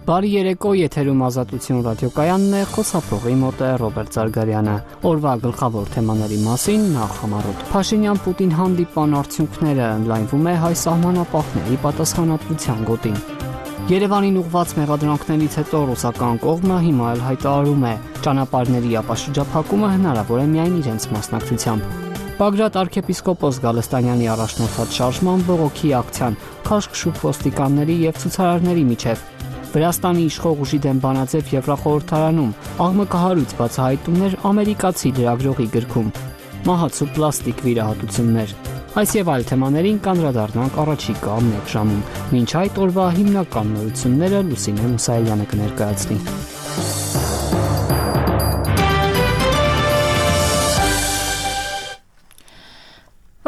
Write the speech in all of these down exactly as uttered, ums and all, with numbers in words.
Բարի երեկո, եթերում Ազատություն ռադիոկայանն է, խոսափողի մոտ է Ռոբերտ Զարգարյանը։ Օրվա գլխավոր թեմաների մասին նախ համառոտ։ Փաշինյան-Պուտին հանդիպան արդյունքները ընդլայնվում է հայ սահմանապահների պատասխանատվության գոտին։ Երևանին ուղղված մեղադրանքներից հետո ռուսական կողմը հիմա էլ հայտարարում է, ճանապարհների ապաշրջափակումը հնարավոր է միայն իրենց մասնակցությամբ։ Բագրատ arczepiskopos Գալստանյանի առաջնորդած շարժման բողոքի ակցիան քաշքշուկ ոստիկանների եւ ցուցարարների միջև։ Վրաստանի իշխող ուժի դեմ բանաձև Եվրախորհրդարանում աղմկահարույց բացահայտումներ ամերիկացի լրագրողի գրքում։ Մահացու պլաստիկ վիրահատություններ։ Այս եւ այլ թեմաներին կանդրադառնանք առաջիկա մեկ ժամում։ Մինչ այդ օրվա հիմնական նորությունները Լուսինե Մուսայելյանը կներկայացնի։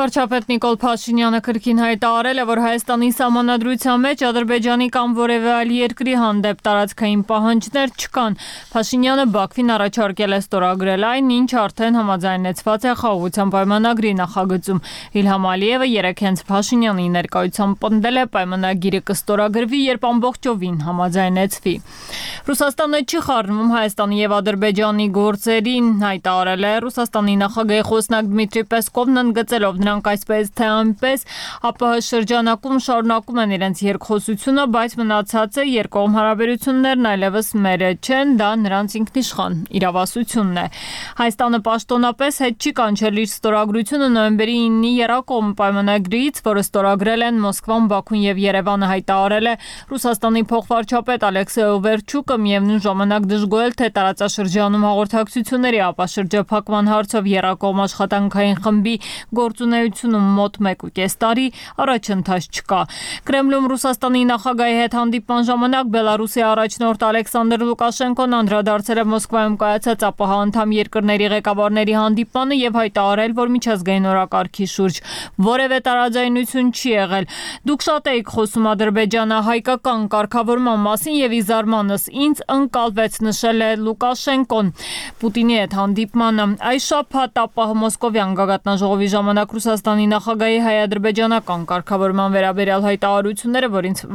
Վարչապետ Նիկոլ Փաշինյանը կրկին հայտարարել է, որ Հայաստանի սահմանադրության մեջ Ադրբեջանի կամ որևէ այլ երկրի հանդեպ տարածքային պահանջներ չկան։ Փաշինյանը Բաքվին առաջարկել է ստորագրել այն, ինչ արդեն համաձայնեցված է խաղաղության պայմանագրի նախագծում։ Իլհամ Ալիևը երեկ հենց Փաշինյանի ներկայությամբ պնդել է, պայմանագիրը կստորագրվի, երբ ամբողջովին համաձայնեցվի։ Ռուսաստանը չի խառնվում Հայաստանի եւ Ադրբեջանի գործերին, հայտարարել է Ռուսաստանի նախագահի խոսնակ Դմիտրի Պեսկովն, ընդգծելով նրանք այսպես թե այնպես ԱՊՀ շրջանակում շարունակում են իրենց երկխոսությունը, բայց մնացածը երկկողմ հարաբերություններն այլևս մերը չեն, դա նրանց ինքնիշխան իրավասությունն է։ Հայաստանը պաշտոնապես հետ չի կանչել իր ստորագրությունը նոյեմբերի իննի եռակողմ պայմանագրից, որը ստորագրել են Մոսկվան, Բաքուն եւ Երևանը, հայտարարել է Ռուսաստանի փոխվարչապետ Ալեքսեյ Օվերչուկը, միևնույն ժամանակ դժգոհել, թե տարածաշրջանում հաղորդակցությունների ապաշրջափակման հարցով եռակողմ աշխատանքային խմբի գործունեությունում մոտ մեկ ու կես տարի առաջընթաց չկա։ Կրեմլում Ռուսաստանի նախագահի հետ հանդիպման ժամանակ Բելարուսի առաջնորդ Ալեքսանդր Լուկաշենկոն անդրադարձել է Մոսկվայում կայացած ԱՊՀ անդամ երկրների ղեկավարների հանդիպմանը եւ հայտարարել, որ միջազգային օրակարգի շուրջ որևէ տարաձայնություն չի եղել։ Դուք շատ եք խոսում ադրբեջանա-հայկական կարգավորման մասին եւ ի զարմանս ինձ ընկալվեց, նշել է Լուկաշենկոն Պուտինի հետ հանդիպմանը։ Այս շաբաթ ԱՊՀ Մոսկովյան գագաթնաժողովի ժամանակ Ռուսաստանի նախագահի հայ-ադրբեջանական կարգավորման վերաբերյալ հայտարարությունները,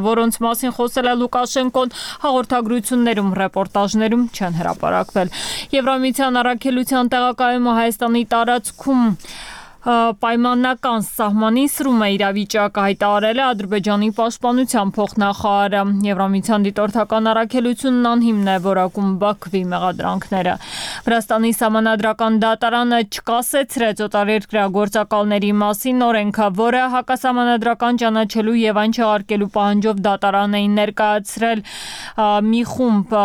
որոնց մասին խոսել է Լուկաշենկոն, հաղորդագրություններում, ռեպորտաժներում չեն հրապարակվել։ Եվրամիության առաքելության տեղակայումը Հայաստանի տարածքում պայմանական սահմանի սրում է իրավիճակը, հայտարարել է Ադրբեջանի պաշտպանության փոխնախարարը։ Եվրամիության դիտորդական առաքելությունն անհիմն է որակում Բաքվի մեղադրանքները։ Վրաստանի սահմանադրական դատարանը չկասեցրեց օտարերկրյա գործակալների մասին օրենքը, որը հակասահմանադրական ճանաչելու եւ այն չեղարկելու պահանջով դատարան էին ներկայացրել մի խումբ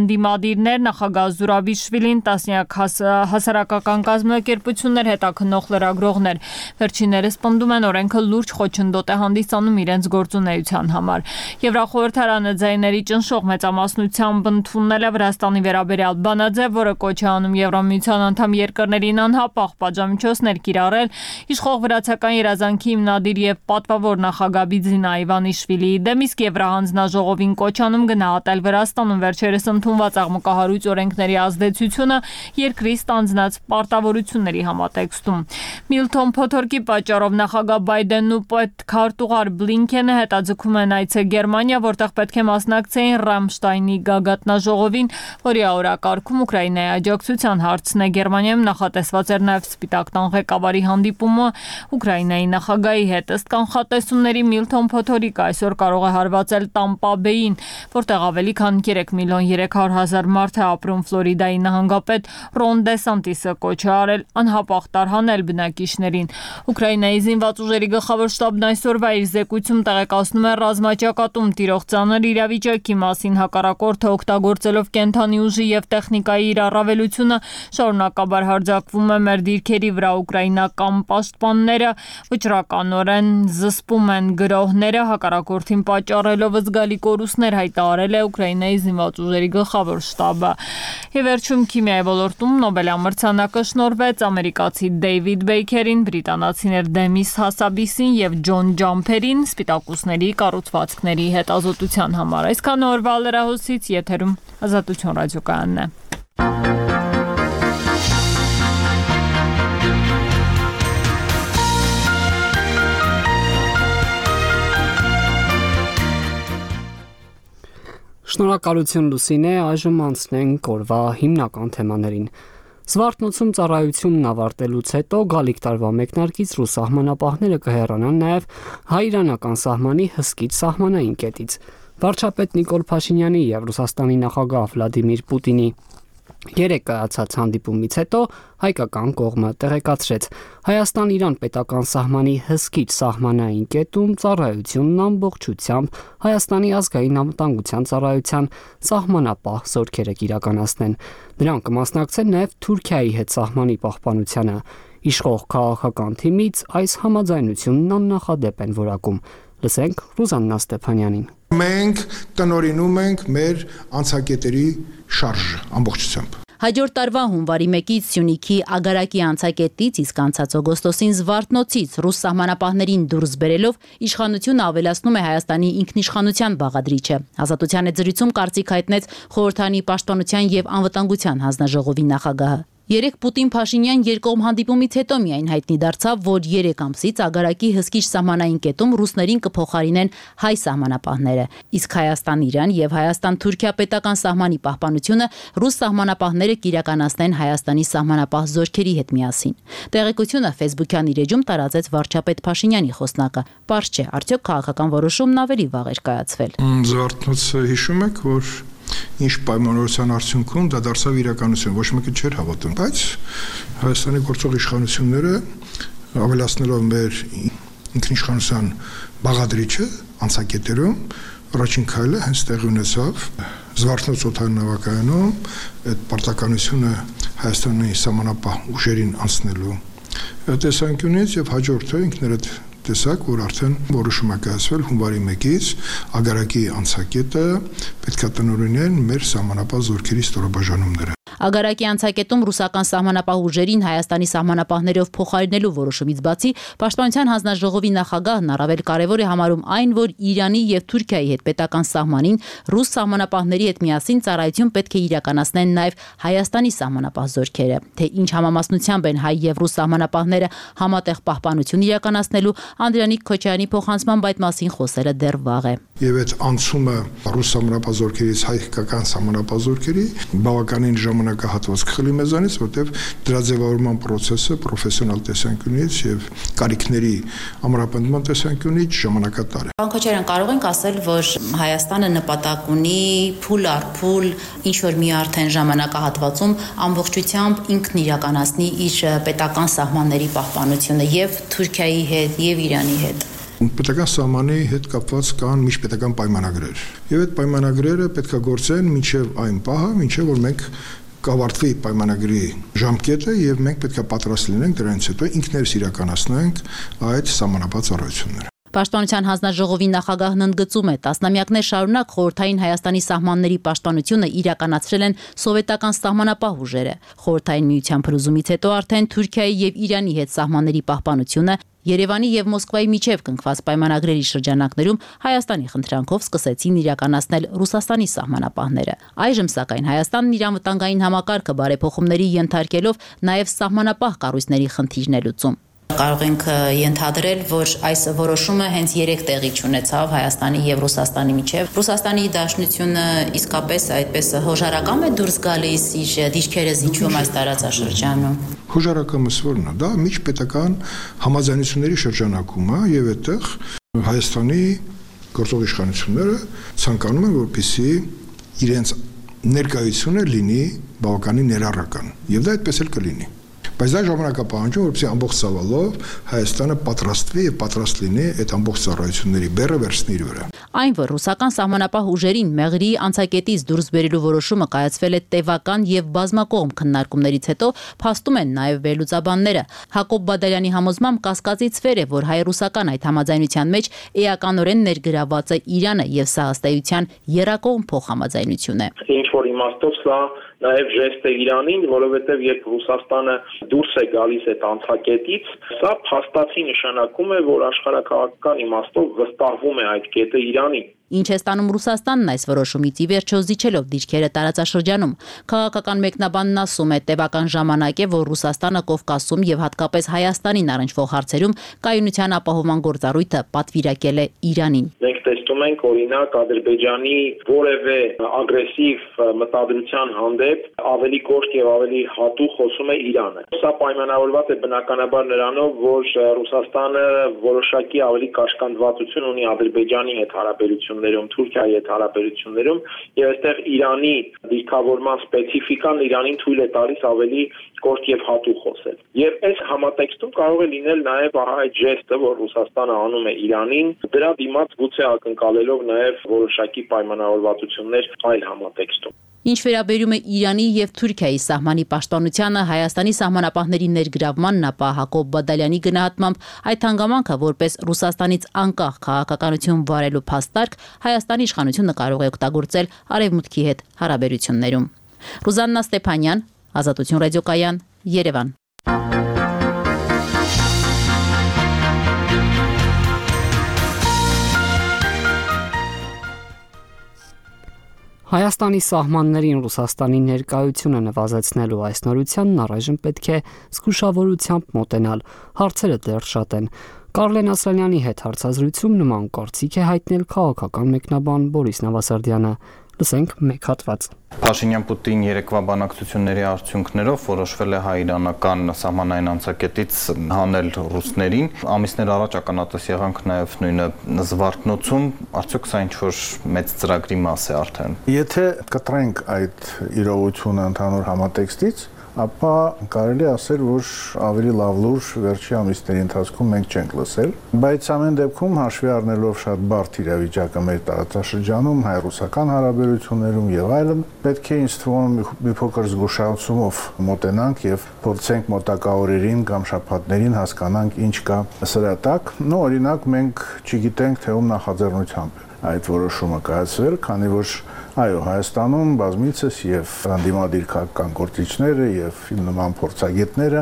ընդդիմադիրներ, նախագահ Զուրաբիշվիլին, տասնյակ հասարակական կազմակերպություններ, հետաքննող լրագրողներ։ Վերջիններս պնդում են օրենքը լուրջ խոչընդոտ է հանդիսանում իրենց գործունեության համար։ Եվրախորհրդարանը ձայների ճնշող մեծամասնությամբ ընդունել է Վրաստանի վերաբերյալ բանաձև, որը կոչ է անում Եվրամիության անդամ երկրներին անհապաղ պատժամիջոցներ կիրառել իշխող վրացական երազանքի հիմնադիր եւ պատվավոր նախագահ Բիձինա Իվանիշվիլիի դեմ, իսկ Եվրահանձնաժողովին կոչ անում գնահատել Վրաստանում վերջերս ընդունված աղմկահարույց օրենքների ազդեցությունը երկրի ստանձնած պարտավորությունների համատեքստում։ Միլթոն Փոթորկի պատճառով նախագահ Բայդենն ու պետքարտուղար Բլինքենը հետաձգում են այցել Գերմանիա, որտեղ պետք է մասնակցեին Ռամշտայնի գագաթնաժողովին, որի օրակարգում Ուկրաինայի աջակցության հարցն է։ Գերմանիայում նախատեսված էր նաև Սպիտակ տան ղեկավարի հանդիպումը Ուկրաինայի նախագահի հետ։ Ըստ կանխատեսումների Միլթոն Փոթորիկը այսօր կարող է հարվածել Տամպա Բեյին, որտեղ ավելի քան երեք միլիոն երեք հարյուր հազար մարդ է ապրում։ Ֆլորիդայի նահանգապետ Ռոն Դեսանտիսը կոչ է արել անհապաղ տարհանել բնակիչներին։ Ուկրաինայի զինված ուժերի գլխավոր շտաբն այսօրվա իր զեկույցում տեղեկացնում է ռազմաճակատում տիրող ծանր իրավիճակի մասին, հակառակորդը օգտագործելով կենթանի ուժի եւ տեխնիկայի իր առավելությունը շարունակաբար հարձակվում է մեր դիրքերի վրա։ Ուկրաինական պաշտպանները վճռականորեն զսպում են գրոհները, հակառակորդին պատճառելով զգալի կորուստներ, հայտարարել է Ուկրաինայի զինված ուժերի գլխավոր շտաբը։ Եվ վերջում քիմիայի ոլորտում Նոբելյան մրցանակը շնորհվեց ամերիկացի Դեյվիդ Բեյքերին, բրիտանացիներ Դեմիս Հասաբիսին եւ Ջոն Ջամփերին սպիտակուսների կառուցվածքների հետազոտության համար։ Այսքան օրվա լրահոսից եթերում Ազատություն ռադիոկայանն է։ Շնորհակալություն Լուսինե, այժմ անցնենք օրվա հիմնական թեմաներին։ Զվարթնոցում ծառայությունն ավարտելուց հետո գալիք տարվա մեկնարկից ռուս սահմանապահները կհեռանան նաև հայ-իրանական սահմանի հսկիչ սահմանային կետից։ Վարչապետ Նիկոլ Փաշինյանի և Ռուսաստանի նախագահ Վլադիմիր Պուտինի երեկ կայացած հանդիպումից հետո հայկական կողմը տեղեկացրեց. Հայաստան-Իրան պետական սահմանի հսկիչ սահմանային կետում ծառայությունն ամբողջությամբ Հայաստանի ազգային անվտանգության ծառայության սահմանապահ զորքերը կիրականացնեն։ Նրանք կմասնակցեն նաև Թուրքիայի հետ սահմանի պահպանությանը։ Իշխող քաղաքական թիմից այս համաձայնությունն աննախադեպ են որակում։ Լսենք Ռուզաննա Ստեփանյանին։ Մենք տնօրինում ենք մեր անցակետերի շարժը ամբողջությամբ։ Հաջորդ տարվա հունվարի մեկից Սյունիքի Ագարակի անցակետից իսկ անցած օգոստոսին Զվարթնոցից ռուս սահմանապահներին դուրս բերելով իշխանությունը ավելացնում է Հայաստանի ինքնիշխանության բաղադրիչը։ Ազատության հետ զրույցում կարծիք հայտնեց Խորհրդանի պաշտպանության եւ անվտանգության հանձնաժողովի նախագահը։ Երեկ Պուտին-Փաշինյան երկկողմ հանդիպումից հետո միայն հայտնի դարձավ, որ երեք ամսից Ագարակի հսկիչ սահմանային կետում ռուսներին կփոխարինեն հայ սահմանապահները, իսկ Հայաստան-Իրան եւ Հայաստան-Թուրքիա պետական սահմանի պահպանությունը ռուս սահմանապահները կիրականացնեն Հայաստանի սահմանապահ զորքերի հետ միասին։ Տեղեկությունը Facebook-յան իր էջում տարածեց վարչապետ Փաշինյանի խոսնակը։ Պարզ չէ, արդյոք քաղաքական որոշումն ավելի վաղ էր կայացվել։ Զվարթնոցը հիշում եք, որ ինչ պայմանավորության արդյունքում դա դարձավ իրականություն, ոչ մեկը չէր հավատում, բայց Հայաստանի գործող իշխանությունները ավելացնելով մեր ինքնիշխանության բաղադրիչը անցակետերում առաջին քայլը հենց տեղի ունեցավ Զվարթնոց օդային նավակայանում այդ պարտականությունը Հայաստանի սահմանապահ ուժերին անցնելու տեսանկյունից եւ հաջորդը ինքներդ տեսակ, որ արդեն որոշում է կայացվել հունվարի մեկից Ագարակի անցակետը պետք է տնօրինեն մեր սահմանապահ զորքերի ստորաբաժանումները։ Ագարակի անցակետում ռուսական սահմանապահ ուժերին Հայաստանի սահմանապահներով փոխարինելու որոշումից բացի Պաշտպանության հանձնաժողովի նախագահն առավել կարևոր է համարում այն, որ Իրանի եւ Թուրքիայի հետ պետական սահմանին ռուս սահմանապահների հետ միասին ծառայություն պետք է իրականացնեն նաեւ Հայաստանի սահմանապահ զորքերը։ Թե ինչ համամասնությամբ են հայ եւ ռուս սահմանապահները համատեղ պահպանություն իրականացնելու, Անդրանիկ Քոչարյանի փոխանցմամբ այդ մասին խոսելը դեռ վաղ է։ Եվ այդ անցումը ռուս սահմանապահ զորքերից հայկական սահմանապահ զորքերի բավականին ժամանակահատված կխլի մեզանից, որտեղ դրա ձևավորման process-ը պրոֆեսիոնալ տեսանկյունից եւ կարիքների ամրապնդման տեսանկյունից ժամանակատար է։ Պարոն Քոչարյան, կարող ենք ասել, որ Հայաստանը նպատակ ունի փուլ առ փուլ ինչ որ մի արդեն ժամանակահատվածում ամբողջությամբ ինքն իրականացնի իր պետական սահմանների պահպանությունը եւ Թուրքիայի հետ եւ Իրանի հետ։ Պետական սահմանի հետ կապված կան միջպետական պայմանագրեր։ Եվ այդ պայմանագրերը պետք է գործեն մինչև այն պահը, մինչև որ մենք կավարտվի պայմանագրի ժամկետը եւ մենք պետք է պատրաստ լինենք դրանից հետո ինքներս իրականացնենք այդ սահմանապահ ծառայությունները։ Պաշտպանության հանձնաժողովի նախագահն ընդգծում է, տասնամյակներ շարունակ խորհրդային Հայաստանի սահմանների պաշտպանությունը իրականացրել են սովետական սահմանապահ ուժերը։ Խորհրդային միության փլուզումից հետո արդեն Թուրքիայի եւ Իրանի հետ սահմանների պահպանությունը Երևանի եւ Մոսկվայի միջև կնքված պայմանագրերի շրջանակներում Հայաստանի խնդրանքով սկսեցին իրականացնել Ռուսաստանի սահմանապահները։ Այժմ սակայն Հայաստանն իր անվտանգային համակարգը բարեփոխումների ենթարկելով նաեւ սահմանապահ կառույցների խնդիրն է լուծում։ Կարող ենք ենթադրել, որ այս որոշումը հենց երեք տեղի ունեցավ Հայաստանի եւ Ռուսաստանի միջև։ Ռուսաստանի դաշնությունը իսկապես այդպես հոժարակամ է դուրս գալիս իր դիրքերը զիջում այս տարածաշրջանում։ Հոժարակամը ո՞րն է, դա միջպետական համաձայնությունների շրջանակում է եւ այդտեղ Հայաստանի գործող իշխանությունները ցանկանում են, որպեսզի իրենց ներկայությունը լինի բավականին ներառական եւ դա այդպես էլ կլինի։ Բայց դա ժամանակապահանջում, որպեսզի ամբողջ ծավալով Հայաստանը պատրաստվի եւ պատրաստ լինի այդ ամբողջ ծառայությունների բեռը վերցնի իր վրա։ Այն, որ ռուսական սահմանապահ ուժերին Մեղրի անցակետից դուրս բերելու որոշումը կայացվել է տևական եւ բազմակողմ քննարկումներից հետո, փաստում են նաեւ վերլուծաբանները։ Հակոբ Բադալյանի համոզմամբ կասկածից վեր է, որ հայ-ռուսական այդ համաձայնության մեջ էականորեն ներգրաված է Իրանը եւ սա ըստ էության եռակողմ փոխհամաձայնություն է։ Ինչ որ իմաստով սա նաև ժեստ է Իրանին, որովհետև երբ Ռուսաստանը դուրս է գալիս այդ անցակետից, սա փաստացի նշանակում է, որ աշխարհաքաղաքական իմաստով վստահվում է այդ կետը Իրանին։ Ինչ է ստանում Ռուսաստանն այս որոշումից ի վերջո զիջելով դիրքերը տարածաշրջանում։ Քաղաքական մեկնաբանն ասում է, տևական ժամանակ է, որ Ռուսաստանը Կովկասում եւ հատկապես Հայաստանին առնչվող հարցերում կայունության ապահովման գործառույթը պատվիրակել է Իրանին։ Մենք տեսնում ենք, օրինակ, Ադրբեջանի որևէ ագրեսիվ մտադրության հանդեպ ավելի կոշտ եւ ավելի հատուկ խոսում է Իրանը։ Սա պայմանավորված է բնականաբար նրանով, որ Ռուսաստանը որոշակի ավելի կաշկանդվածություն ունի Ադրբեջանի հետ հարաբերություններում, Թուրքիայի հետ հարաբերություններում, եւ այստեղ Իրանի դիրքավորման սպეციფიკան Իրանին թույլ է տալիս ավելի կոշտ եւ հատուկ խոսել։ Եվ այս համատեքստում կարող է լինել նաեւ ահա այդ ժեստը, որ Ռուսաստանը անում է Իրանին, դրա դիմաց գուցե ակնկալելով նաեւ որոշակի պայմանավորվածություններ այլ համատեքստում։ Ինչ վերաբերում է Իրանի եւ Թուրքիայի սահմանի պաշտպանությանը, Հայաստանի սահմանապահների ներգրավմանն, ապա Հակոբ Բադալյանի գնահատմամբ այդ հանգամանքը որպես Ռուսաստանից անկախ քաղաքականություն վարելու փաստարկ Հայաստանի իշխանությունը կարող է օգտագործել Արևմուտքի հետ հարաբերություններում։ Ռուզաննա Ստեփանյան, Ազատություն ռադիոկայան, Երևան։ Հայաստանի սահմաններին Ռուսաստանի ներկայությունը նվազեցնելու այս նորությանն առայժմ պետք է զգուշավորությամբ մոտենալ, հարցերը դեռ շատ են։ Կարլեն Ասլանյանի հետ հարցազրույցում նման կարծիք է հայտնել քաղաքական մեկնաբան Բորիս Նավասարդյանը։ Լսենք մեկ հատված։ Փաշինյան-Պուտին երեկվա բանակցությունների արդյունքներով որոշվել է հայ-իրանական սահմանային անցակետից հանել ռուսներին։ Ամիսներ առաջ ականատես եղանք նաև նույնը Զվարթնոցում, արդյոք սա ինչ-որ մեծ ծրագրի մաս է արդեն։ Եթե կտրենք այդ իրողությունը ընդհանուր համատեքստից, ապա կարելի ասել, որ ավելի լավ լուր վերջի ամիսների ընթացքում մենք չենք լսել, բայց ամեն դեպքում հաշվի առնելով շատ բարդ իրավիճակը մեր տարածաշրջանում, հայ-ռուսական հարաբերություններում եւ այլն, պետք է ինձ թվում մի փոքր զգուշացումով մոտենանք եւ փորձենք մոտակա օրերին կամ շաբաթներին հասկանանք ինչ կա սրա տակ։ Նո, օրինակ մենք չգիտենք, թե ում նախաձեռնությամբ այդ որոշումը կայացվել, քանի որ այո, Հայաստանում բազմիցս եւ անդիմադիր քաղաքական գործիչները եւ նման փորձագետները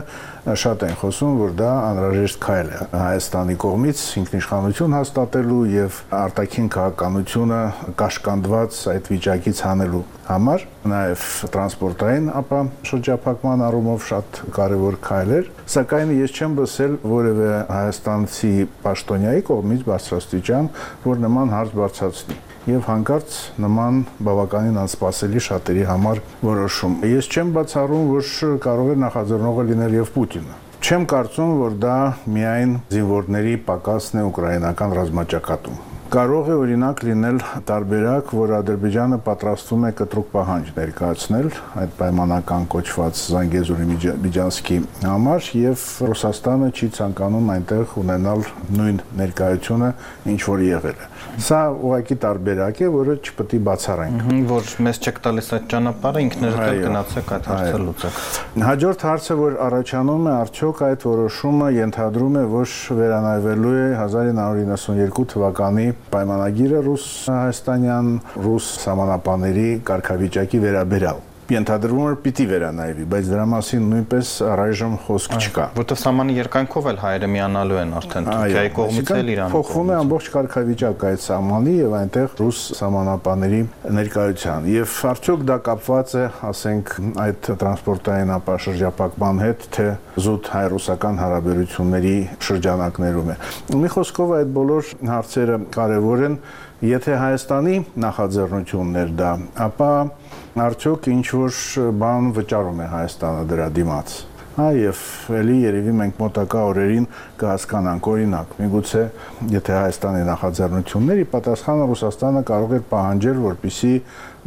շատ են խոսում, որ դա անհրաժեշտ քայլ է Հայաստանի կողմից ինքնիշխանություն հաստատելու եւ արտաքին քաղաքականությունը կաշկանդված այդ վիճակից հանելու համար, նաեւ տրանսպորտային ապա շրջափակման առումով շատ կարեւոր քայլ էր, սակայն ես չեմ լսել որևէ հայաստանցի պաշտոնյայի կողմից բարձրաստիճան, որ նման հարց բարձրացնի եւ հանկարծ նման բավականին անսպասելի շատերի համար որոշում։ Ես չեմ բացառում, որ կարող է նախաձեռնողը լինել եւ Պուտինը։ Չեմ կարծում, որ դա միայն զինվորների պակասն է ուկրաինական ռազմաճակատում։ Կարող է օրինակ լինել տարբերակ, որ Ադրբեջանը պատրաստվում է կտրուկ պահանջ ներկայացնել այդ պայմանական կոչված Զանգեզուրի Միջանցքի համար եւ Ռուսաստանը չի ցանկանում այնտեղ ունենալ նույն ներկայությունը, ինչ որ եղել է։ Սա ուղղակի տարբերակ է, որը չպետք է բացառենք։ Որ մեզ չեք տալիս այդ ճանապարհը, ինքներդ էլ գնացեք այդ հարցը լուծեք։ Հաջորդ հարցը, որ առաջանում է, արդյոք այդ որոշումը ենթադրում է, որ վերանայվելու է հազար ինը հարյուր իննսունյերկու թվականի պայմանագիրը ռուս-հայաստանյան, ռուս սահմանապահների կարգավիճակի վերաբերյալ։ Ենթադրվում է պիտի վերանայվի, բայց դրա մասին նույնպես առայժմ խոսք չկա։ Որտեղ սահմանի երկայնքով էլ հայերը միանալու են արդեն Թուրքիայի կողմից էլ Իրանի կողմից։ Փոխվում է ամբողջ կարգավիճակը այդ սահմանի եւ այնտեղ ռուս սահմանապահների ներկայության։ Եվ արդյոք դա կապված է, ասենք, այդ տրանսպորտային ապաշրջապակման հետ, թե զուտ հայ-ռուսական հարաբերությունների շրջանակներում է։ Մի խոսքով այդ բոլոր հարցերը կարևոր են, եթե Հայաստանի նախաձեռնությունն էր դա, ապա արդյոք ինչ-որ բան վճարում է Հայաստանը դրա դիմաց։ Հա, եւ էլի երևի մենք մոտակա օրերին կհասկանանք, օրինակ, միգուցե եթե Հայաստանի նախաձեռնությունների պատասխանը Ռուսաստանը կարող է պահանջել, որպեսզի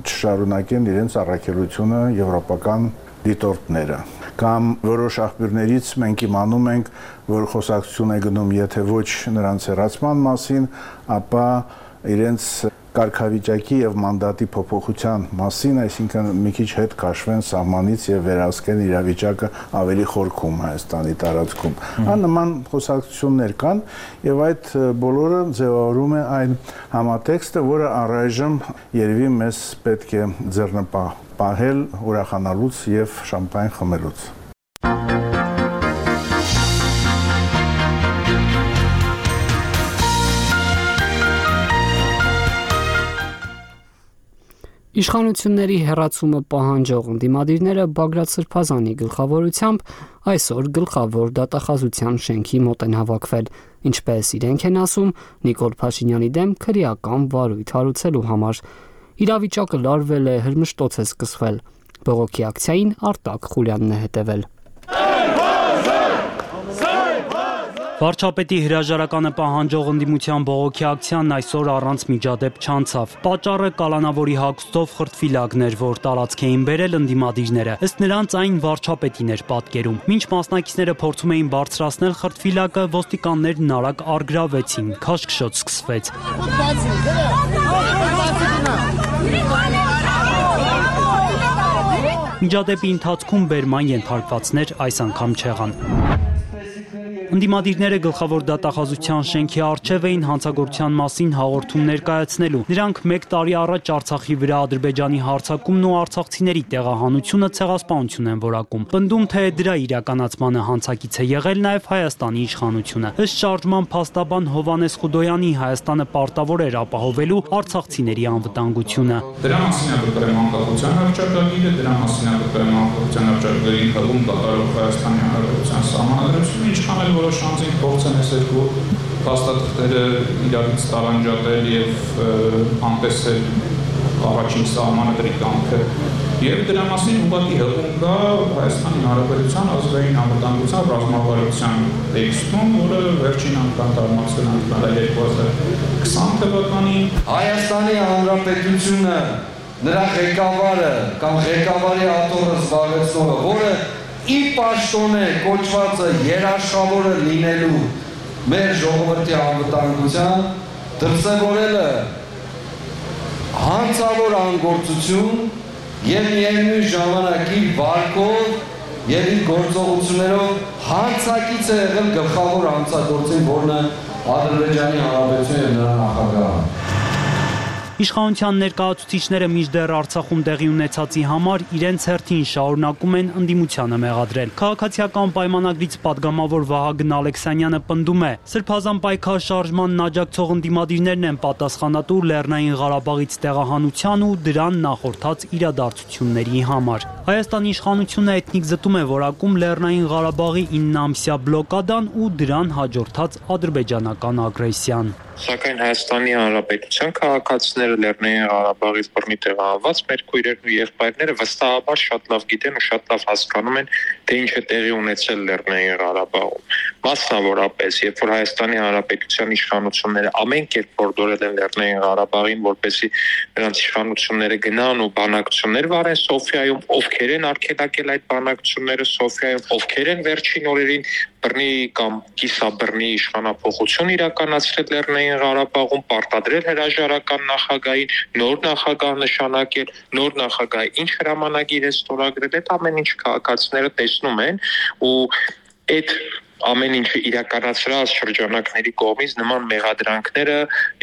չշարունակեն իրենց առաքելությունը եվրոպական դիտորդները։ Կամ որոշ աղբյուրներից մենք իմանում ենք, որ խոսակցություն է գնում, եթե ոչ նրանց հեռացման մասին, ապա իրենց կարգավիճակի եւ մանդատի փոփոխության մասին, այսինքն մի քիչ հետ քաշվեն սահմանից եւ վերահսկեն իրավիճակը ավելի խորքում Հայաստանի տարածքում։ Աննման խոսակցություններ կան եւ այդ բոլորը ձևավորում է այն համատեքստը, որը առայժմ երևի մեզ պետք է ձեռնպահ պահել ուրախանալուց եւ շամպայն խմելուց։ Իշխանությունների հեռացումը պահանջող ընդդիմադիրները Բագրատ Սրբազանի գլխավորությամբ այսօր գլխավոր դատախազության շենքի մոտ են հավաքվել, ինչպես իրենք են ասում, Նիկոլ Փաշինյանի դեմ քրեական վարույթ հարուցելու համար։ Իրավիճակը լարվել է, հրմշտոց է սկսվել։ Բողոքի ակցիային Արտակ Խուլյանն է հետևել։ Վարչապետի հրաժարականը պահանջող ընդդիմության բողոքի ակցիան այսօր առանց միջադեպ չանցավ։ Պատճառը կալանավորի հագուստով խրտվիլակներ, որ տարածք էին բերել ընդդիմադիրները։ Ըստ նրանց այն վարչապետին էր պատկերում։ Մինչ մասնակիցները փորձում էին բարձրացնել խրտվիլակը, ոստիկաններն արագ առգրավեցին, քաշքշոտ սկսվեց։ Միջադեպի ընթացքում բերման ենթարկվածներ այս անգամ չեղան։ Ընդդիմադիրները գլխավոր դատախազության շենքի առջև էին հանցագործության մասին հաղորդում ներկայացնելու։ Նրանք մեկ տարի առաջ Արցախի վրա Ադրբեջանի հարձակումն ու արցախցիների տեղահանությունը ցեղասպանություն են որակում։ Պնդում թե դրա իրականացմանը հանցակից է եղել նաև Հայաստանի իշխանությունը։ Ըստ շարժման փաստաբան Հովհաննես Խուդոյանի Հայաստանը պարտավոր էր ապահովելու արցախցիների անվտանգությունը։ Դրա մասին է գրել անկախության հռչակագիրը, դրա մասին է գրել անկախության հռչակագրի հղում կատարող Հայաստանի Հանրապետության սահմանադրությունը, ինչքան էլ որոշ անձինք փորձեն այս երկու փաստաթղթերը իրարից տարանջատել եւ անտեսել առաջին սահմանադրի կամքը եւ դրա մասին ուղղակի հղում կա Հայաստանի Հանրապետության ազգային անվտանգության ռազմավարության տեքստում, որը վերջին անգամ տարածվել է երկու հազար քսան թվականին։ Հայաստանի Հանրապետությունը նրա ղեկավարը կամ ղեկավարի աթոռը զբաղեցնողը, որը ի պաշտոնե կոչվածը երաշխավորը լինելու մեր ժողովրդի անվտանգության դրսևորել է հանցավոր անգործություն եւ միևնույն ժամանակ իր վարկով եւ իր գործողություններով հանցակից է եղել գլխավոր հանցագործին, որն է Ադրբեջանի Հանրապետությունը եւ նրա նախագահը։ Իշխանության ներկայացուցիչները մինչդեռ Արցախում տեղի ունեցածի համար իրենց հերթին շարունակում են ընդդիմությանը մեղադրել։ Քաղաքացիական պայմանագրից падգամավոր Վահագն Ալեքսանյանը պնդում է, Սրբազան պայքար շարժմանն աջակցող ընդդիմադիրներն են պատասխանատու Լեռնային Ղարաբաղից տեղահանության ու դրան նախորդած իրադարձությունների համար։ Հայաստանի իշխանությունը էթնիկ զտում է որակում Լեռնային Ղարաբաղի ինը ամսյա բլոկադան ու դրան հաջորդած ադրբեջանական ագրեսիան։ Սակայն Հայաստանի Հանրապետության քաղաքացիները Լեռնային Ղարաբաղից բռնի տեղահանված մեր քույրերն ու եղբայրները վստահաբար շատ լավ գիտեն ու շատ լավ հասկանում են, թե ինչ է տեղի ունեցել Լեռնային Ղարաբաղում։ Մասնավորապես, երբ որ Հայաստանի Հանրապետության իշխանությունները ամեն կերպ հորդորել են Լեռնային Ղարաբաղին, որպեսզի նրանց իշխանությունները գնան ու բանակցություններ վարեն Սոֆիայում, ովքեր են արգելակել այդ բանակցությունները Սոֆիայում, ովքեր են վերջին օրերին բռնի կամ կիսաբռնի իշխանափոխություն իրականացրել Լեռնային Ղարաբաղում, պարտադրել հրաժարական նախագահին, նոր նախագահ նշանակել, նոր նախագահ ինչ հրամանագիր է ստորագրել, այդ ամեն ինչ քաղաքացիները տեսնում են ու այդ ամեն ինչը իրականացրած շրջանակների կողմից նման մեղադրանքները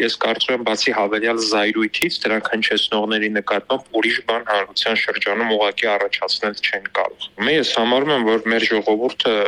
ես կարծում եմ բացի հավելյալ զայրույթից դրանք հնչեցնողների նկատմամբ ուրիշ բան հանրության շրջանում ուղղակի առաջացնել չեն կարող։ Ես համարում եմ, որ մեր ժողովուրդը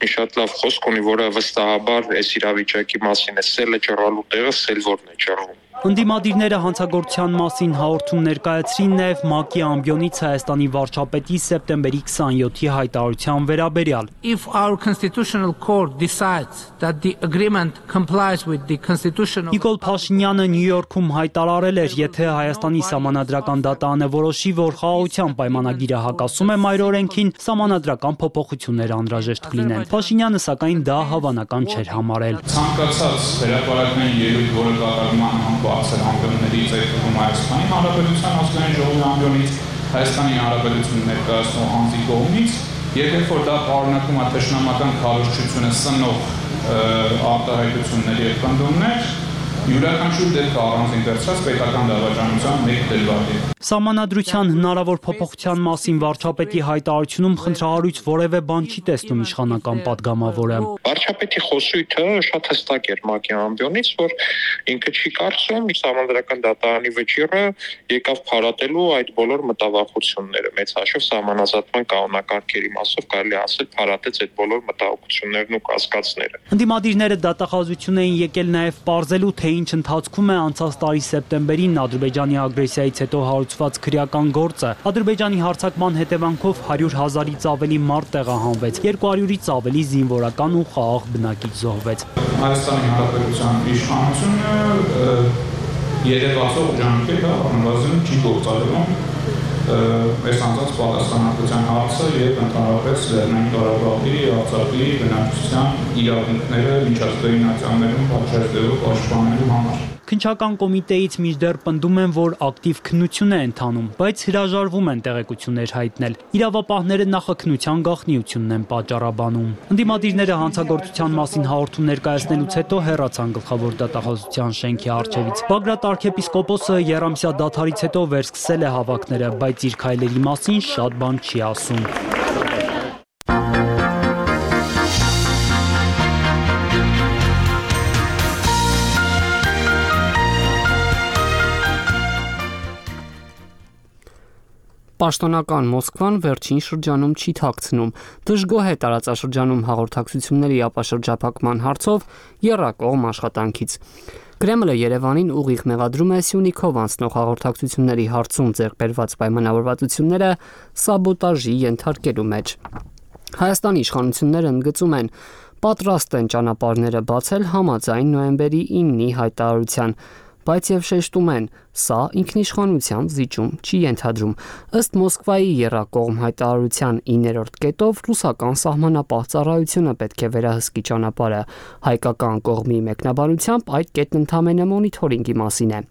մի շատ լավ խոսք ունի, որը վստահաբար այս իրավիճակի մասին է սելը ճռալու տեղը սել որն է ճռում։ Ընդդիմադիրները հանցագործության մասին հաղորդում ներկայացրին նաև ՄԱԿ-ի ամբիոնից Հայաստանի վարչապետի սեպտեմբերի քսանյոթի հայտարարության վերաբերյալ։ If our constitutional court decides that the agreement complies with the constitutional Նիկոլ Փաշինյանը Նյու Յորքում հայտարարել էր, եթե Հայաստանի սահմանադրական դատարանը որոշի, որ խաղաղության պայմանագիրը հակասում է մայր օրենքին, սահմանադրական փոփոխություններ անհրաժեշտ կլինեն։ Փաշինյանը սակայն դա հավանական չէր համարել։ Ցանկացած հրապարակային ելույթ, որը կատարվում է բարձր ամբիոններից այդ թվում Հայաստանի Հանրապետության ազգային ժողովի ամբիոնից, Հայաստանի Հանրապետությունը ներկայացնող անձի կողմից, եւ երբ որ դա պարունակում է թշնամական քարոզչությունը սնող արտահայտություններ եւ պնդումներ, յուրաքանչյուր դեպքը առանձին վերցրած պետական դավաճանության մեկ դրվագ է։ Սահմանադրության հնարավոր փոփոխության մասին վարչապետի հայտարարությունում խնդրահարույց որևէ բան չի տեսնում իշխանական падգամավորը։ Վարչապետի խոսույթը շատ հստակ էր ՄԱԿ-ի ամբիոնից, որ ինքը չի կարծում սահմանադրական դատարանի վճիռը եկավ փարատելու այդ բոլոր մտավախությունները։ Մեծ հաշվով սահմանազատման կանոնակարգերի մասով կարելի ասել փարատեց այդ բոլոր մտահոգություններն ու կասկածները։ Ընդդիմադիրները դատախազություն էին եկել նաև պարզելու, թե թե ինչ ընթացքում է անցած տարի սեպտեմբերին Ադրբեջանի ագրեսիայից հետո հարուցված քրեական գործը։ Ադրբեջանի հարձակման հետևանքով հարյուր հազարից ավելի մարդ տեղահանվեց, երկու հարյուրից ավելի զինվորական ու խաղաղ բնակիչ զոհվեց։ Հայաստանի Հանրապետության իշխանությունը երևացող ջանքեր առնվազն չի գործադրում այս անձանց պատասխանատվության հարցը եւ ընդհանրապես Լեռնային Ղարաբաղի, Արցախի բնակչության իրավունքները միջազգային ակցիաներում պատշաճելու պաշտպանելու համար։ Քննչական կոմիտեից մինչդեռ պնդում են, որ ակտիվ քննություն է ընթանում, բայց հրաժարվում են տեղեկություններ հայտնել։ Իրավապահները նախաքննության գաղտնիությունն են պատճառաբանում։ Ընդդիմադիրները հանցագործության մասին հաղորդում ներկայացնելուց հետո հեռացան գլխավոր դատախազության շենքի առջևից։ Բագրատ arczepiskopos-ը երամսյա դադարից հետո վերսկսել է հավաքները, բայց իր քայլերի մասին շատ բան չի ասում։ Պաշտոնական Մոսկվան վերջին շրջանում չի թաքցնում, դժգոհ է տարածաշրջանում հաղորդակցությունների ապաշրջափակման հարցով եռակողմ աշխատանքից։ Կրեմլը Երևանին ուղիղ մեղադրում է Սյունիքով անցնող հաղորդակցությունների հարցում ձեռք բերված պայմանավորվածությունները սաբոտաժի ենթարկելու մեջ։ Հայաստանի իշխանությունները ընդգծում են, պատրաստ են ճանապարհները բացել համաձայն նոյեմբերի իննի հայտարարության, բայց եւ շեշտում են, սա ինքնիշխանության զիջում չի ենթադրում։ Ըստ Մոսկվայի եռակողմ հայտարարության իններորդ կետով ռուսական սահմանապահ ծառայությունը պետք է վերահսկի ճանապարհը։ Հայկական կողմի մեկնաբանությամբ այդ կետն ընդամենը մոնիթորինգի մասին է։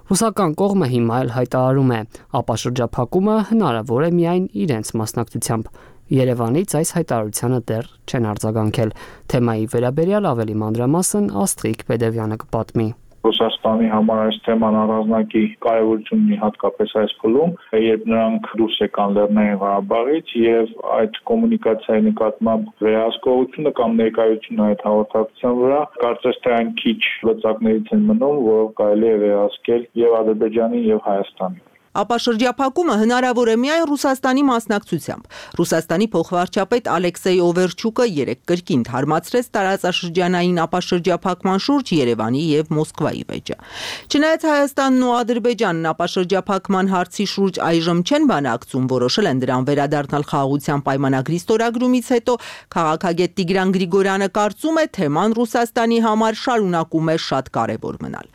Ռուսական կողմը հիմա էլ հայտարարում է, ապաշրջափակումը հնարավոր է միայն իրենց մասնակցությամբ։ Երևանից այս հայտարարությանը դեռ չեն արձագանքել։ Թեմայի վերաբերյալ ավելի մանրամասն Աստղիկ Պետևյանը կպատմի։ Ռուսաստանի համար այս թեման առանձնակի կարևորություն ունի հատկապես այս փուլում, երբ նրանք դուրս եկան Լեռնային Ղարաբաղից եւ այդ կոմունիկացիայի նկատմամբ վերահսկողությունը կամ ներկայությունը այդ հաղորդակցության վրա կարծես թե այն քիչ լծակներից են մնում, որով կարելի է վերահսկել եւ Ադրբեջանին եւ Հայաստանին։ Ապաշրջափակումը հնարավոր է միայն Ռուսաստանի մասնակցությամբ։ Ռուսաստանի փոխվարչապետ Ալեքսեյ Օվերչուկը երեկ կրկին թարմացրեց տարածաշրջանային ապաշրջափակման շուրջ Երևանի եւ Մոսկվայի վեճը։ Չնայած Հայաստանն ու Ադրբեջանն ապաշրջափակման հարցի շուրջ այժմ չեն բանակցում, որոշել են դրան վերադառնալ խաղաղության պայմանագրի ստորագրումից հետո, քաղաքագետ Տիգրան Գրիգորյանը կարծում է, թեման Ռուսաստանի համար շարունակում է շատ կարևոր մնալ։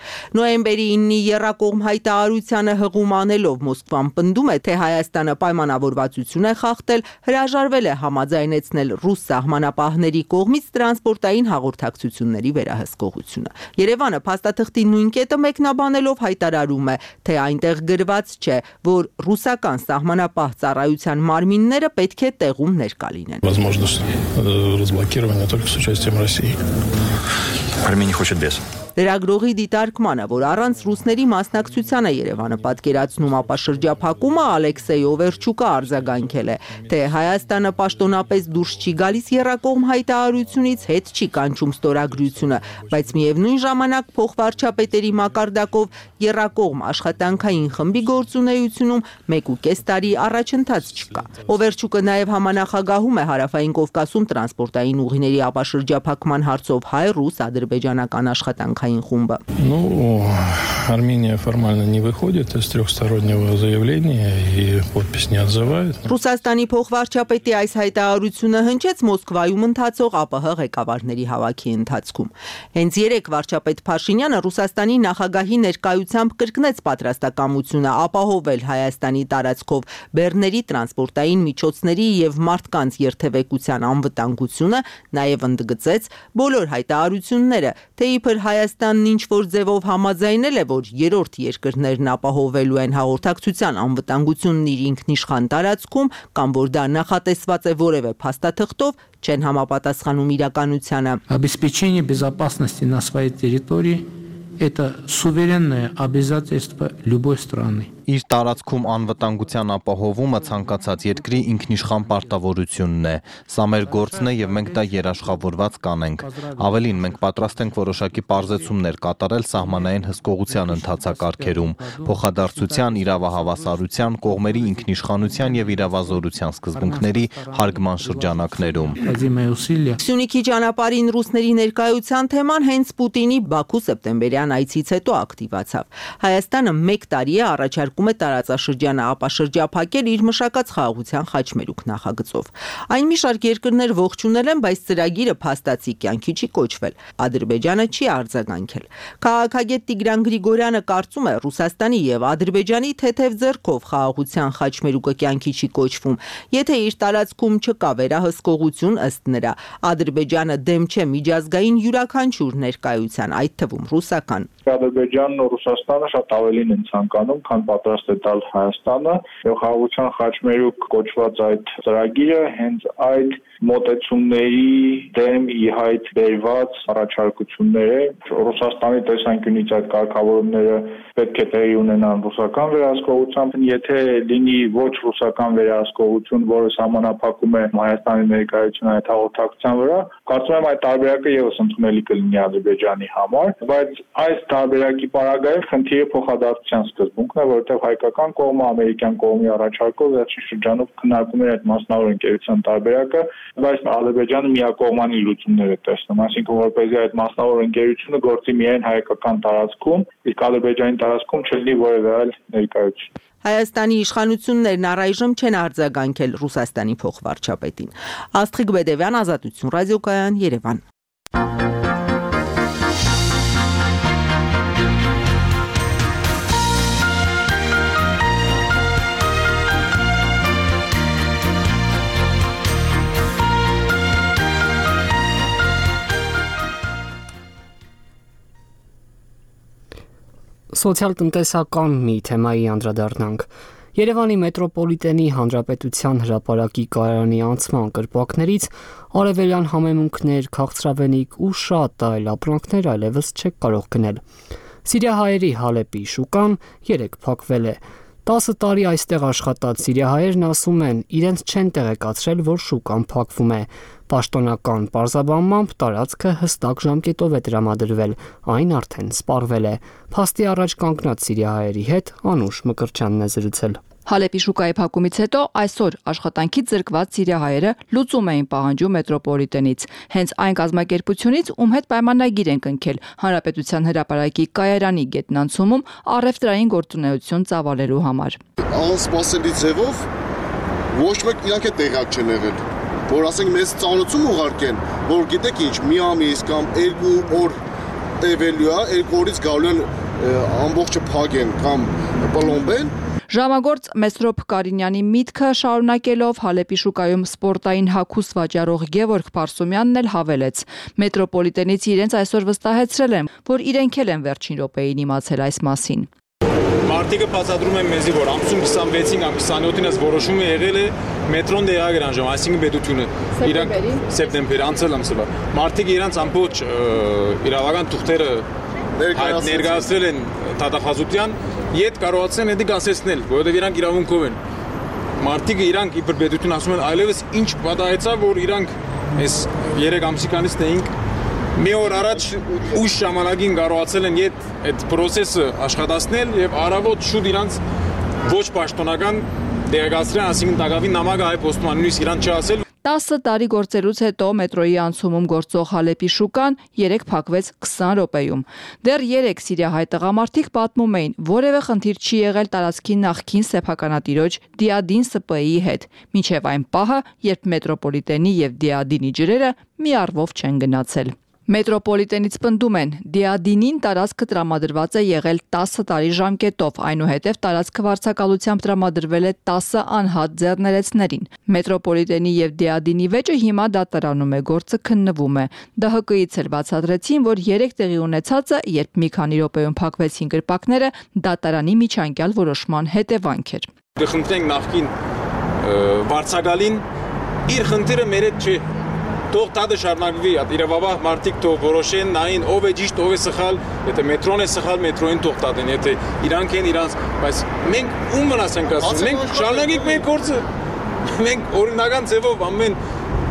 Նոյեմբերի իննի եռակողմ հայտարարությանը հղում անելով Մոսկվան պնդում է, թե Հայաստանը պայմանավորվածություն է խախտել, հրաժարվել է համաձայնեցնել ռուս սահմանապահների կողմից տրանսպորտային հաղորդակցությունների վերահսկողությունը։ Երևանը փաստաթղթի նույն կետը մեկնաբանելով հայտարարում է, թե այնտեղ գրված չէ, որ ռուսական սահմանապահ ծառայության մարմինները պետք է տեղում ներկա լինեն։ Армения хочет без. Լրագրողի դիտարկմանը, որ առանց ռուսների մասնակցությանը Երևանը պատկերացնում ապաշրջափակումը, Ալեքսեյ Օվերչուկը արձագանքել է, թե Հայաստանը պաշտոնապես դուրս չի գալիս եռակողմ հայտարարությունից, հետ չի կանչում ստորագրությունը, բայց միևնույն ժամանակ փոխվարչապետերի մակարդակով եռակողմ աշխատանքային խմբի գործունեությունում մեկ ու կես տարի առաջընթաց չկա։ Օվերչուկը նաև համանախագահում է Հարավային Կովկասում տրանսպորտային ուղիների ապաշրջափակման հարցով հայ-ռուս ադրբեջանական աշխատանք Ну, Армения формально не выходит из трехстороннего заявления и подпись не отзывает. Ռուսաստանի փոխվարչապետի այս հայտարարությունը հնչեց Մոսկվայում ընթացող ԱՊՀ ղեկավարների հավաքի ընթացքում։ Հենց երեք վարչապետ Փաշինյանը Ռուսաստանի նախագահի ներկայությամբ կրկնեց պատրաստակամությունը ապահովել Հայաստանի տարածքով բեռների տրանսպորտային միջոցների եւ մարդկանց երթևեկության անվտանգությունը, նաև ընդգծեց բոլոր հայտարարությունները, թե իբր Հայաստանն ինչ-որ ձևով համաձայնել է, որ երրորդ երկրներն ապահովելու են հաղորդակցության անվտանգությունն իր ինքնիշխան տարածքում, կամ որ դա նախատեսված է որևէ փաստաթղթով, չեն համապատասխանում իրականությանը։ Обеспечение безопасности на своей территории – это суверенное обязательство любой страны. Իր տարածքում անվտանգության ապահովումը ցանկացած երկրի ինքնիշխան պարտավորությունն է։ Սա մեր գործն է եւ մենք դա երաշխավորված կանենք։ Ավելին, մենք պատրաստ ենք որոշակի պարզեցումներ կատարել սահմանային հսկողության ընթացակարգերում, փոխադարձության, իրավահավասարության, կողմերի ինքնիշխանության եւ իրավազորության սկզբունքների հարգման շրջանակներում։ Սյունիքի ճանապարհին ռուսների ներկայության թեման հենց Պուտինի Բաքու սեպտեմբերյան այցից հետո ակտիվացավ։ Հայաստանը մեկ տարի է առաջարկում է տարածաշրջանը ապաշրջափակել իր մշակած խաղաղության խաչմերուկ նախագծով։ Այն մի շարք երկրներ ողջունել են, բայց ծրագիրը փաստացի կյանքի չի կոչվել։ Ադրբեջանը չի արձագանքել։ Քաղաքագետ Տիգրան Գրիգորյանը կարծում է, Ռուսաստանի եւ Ադրբեջանի թեթև ձեռքով խաղաղության խաչմերուկը կյանքի չի կոչվում, եթե իր տարածքում չկա վերահսկողություն, ըստ նրա, Ադրբեջանը դեմ չէ միջազգային յուրաքանչյուր ներկայության, այդ թվում ռուսական։ Ադրբեջանն ու Ռուսաստանը շատ ավելին են ցանկանում, քան պատրաստ է տալ Հայաստանը, եւ խաղաղության խաչմերուկ կոչված այդ ծրագիրը հենց այդ մոտեցումների դեմ ի հայտ բերված առաջարկություններ է։ Ռուսաստանի տեսանկյունից այդ կարգավորումները պետք է տեղի ունենան ռուսական վերահսկողությամբ, եթե լինի ոչ ռուսական վերահսկողություն, որը սահմանափակում է Հայաստանի ներկայությունը այդ հաղորդակցության վրա, կարծում եմ այդ տարբերակը եւս ընդունելի կլինի Ադրբեջանի համար, բայց այս տարբերակի պարագայում խնդիրը փոխադարձության սկզբունքն է, որովհետև հայկական կողմը ամերիկյան կողմի առաջարկով վերջին շրջանում քննարկում էր այդ մասնավոր ընկերության տարբերակը, բայց Ադրբեջանը միակողմանի լուծումներ է տեսնում, այսինքն որպեսզի այդ մասնավոր ընկերությունը գործի միայն հայկական տարածքում, իսկ Ադրբեջանի տարածքում չլինի որևէ այլ ներկայություն։ Հայաստանի իշխանություններն առայժմ չեն արձագանքել Ռուսաստանի փոխվարչապետին։ Աստղիկ Բեդևյան, Ազատություն ռադիոկայան, Երևան։ Սոցիալ-տնտեսական մի թեմայի անդրադառնանք։ Երևանի մետրոպոլիտենի հանրապետության հրապարակի կայարանի անցման կրպակներից արևելյան համեմունքներ, քաղցրավենիք ու շատ այլ ապրանքներ այլևս չեք կարող գնել։ Սիրիահայերի Հալեպի շուկան երեք փակվել է։ տասը տարի այստեղ աշխատած սիրիահայերն ասում են, իրենց չեն տեղեկացրել, որ շուկան փակվում է։ Պաշտոնական պարզաբանմամբ տարածքը հստակ ժամկետով է տրամադրվել, այն արդեն սպառվել է։ Փաստի առաջ կանգնած սիրիահայերի հետ Անուշ Մկրտչյանն է զրուցել։ Հալեպի շուկայի փակումից հետո այսօր աշխատանքից զրկված սիրիահայերը լուծում էին պահանջում մետրոպոլիտենից։ Հենց այն կազմակերպությունից, ում հետ պայմանագիր են կնքել Հանրապետության հրապարակի կայարանի գետնանցումում առևտրային գործունեություն ծավալելու համար։ Անսպասելի ձևով ոչ մեկ իրանք է տեղյակ չեն եղել, որ ասենք մեզ ծանոթություն ուղարկեն, որ գիտեք ինչ, մի ամիս կամ երկու օր տևելու է, երկու օրից գալու են ամբողջը փակեն կամ պլոմբեն։ Ժամագործ Մեսրոպ Կարինյանի միտքը շարունակելով Հալեպի շուկայում սպորտային հագուստ վաճառող Գևորգ Փարսումյանն էլ հավելեց. մետրոպոլիտենից իրենց այսօր վստահեցրել են, որ իրենք էլ են վերջին րոպեին իմացել այս մասին։ Մարտիկը բացատրում են մեզի, որ ամսում քսանվեցին կամ քսանյոթին այս որոշումը եղել է մետրոն դեղագրանժում, այսինքն պետությունը իրանք սեպտեմբեր անցել ամսվա։ Մարտիկը իրանք ամբողջ իրավական թուղթերը ներկայացրել են դատախազության, իդ կարողացան դա գասեցնել, որովհետև իրանք իրավունքով են։ Մարտիկը իրանք իբր պետություն ասում են, այլևս ինչ պատահեցավ, որ իրանք այս երեք ամսիքանից տեինք մի օր առաջ ուշ ժամանակին կարողացել են իդ այդ process-ը աշխատացնել եւ առավոտ շուտ իրանք ոչ պաշտոնական դեղացրել, ասինքն դակավին նամակը հայ պոստման նույնիսկ իրանք չասել։ տասը տարի գործելուց հետո մետրոյի անցումում գործող Հալեպի շուկան երեք փակվեց քսան րոպեում։ Դեռ երեք սիրիահայ տղամարդիկ պատմում էին, որևէ խնդիր չի եղել տարածքի նախկին սեփականատիրոջ Դիադին Ս Պ Ի հետ, մինչև այն պահը, երբ մետրոպոլիտենի եւ Դիադինի ջրերը մի առվով չեն գնացել։ Մետրոպոլիտենից պնդում են, Դիադինին տարածքը տրամադրված է եղել տասը տարի ժամկետով, այնուհետև տարածքը վարձակալությամբ տրամադրվել է տասը անհատ ձեռներեցներին։ Մետրոպոլիտենի եւ Դիադինի վեճը հիմա դատարանում է, գործը քննվում է։ Դահ Հ Կ-ից էլ բացատրեցին, որ երեք տեղի ունեցածը, երբ մի քանի րոպեում փակվեցին կրպակները, դատարանի միջանկյալ որոշման հետևանք էր։ Կխնդրենք նախկին վարձակալին իր խնդիրը մեր հետ չի թող տադը շարունակվի, իրավաբան մարդիկ թող որոշեն, նային ով է ճիշտ, ով է սխալ, եթե մետրոն է սխալ, մետրոին թող տադեն, եթե իրանք են իրանց, բայց մենք ում վնաս ենք ասում, մենք շարունակենք մեր գործը, մենք օրինական ձևով ամեն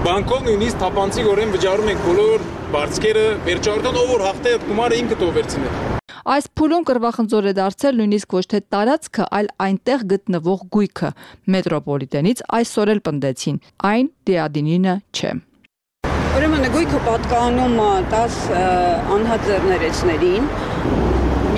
բանկով նույնիսկ թափանցիկորեն վճարում ենք բոլոր բարձկերը, վերջավորական ով որ հաղթե գումարը ինքը թող վերցնի։ Այս փուլում կռվախնձոր է դարձել նույնիսկ ոչ թե տարածքը, այլ այնտեղ գտնվող գույքը։ Մետրոպոլիտենից այսօր էլ պնդեցին, այն դիադինինը չէ։ Ուրեմն գույքը պատկանում տաս անհատձեռներեցներին։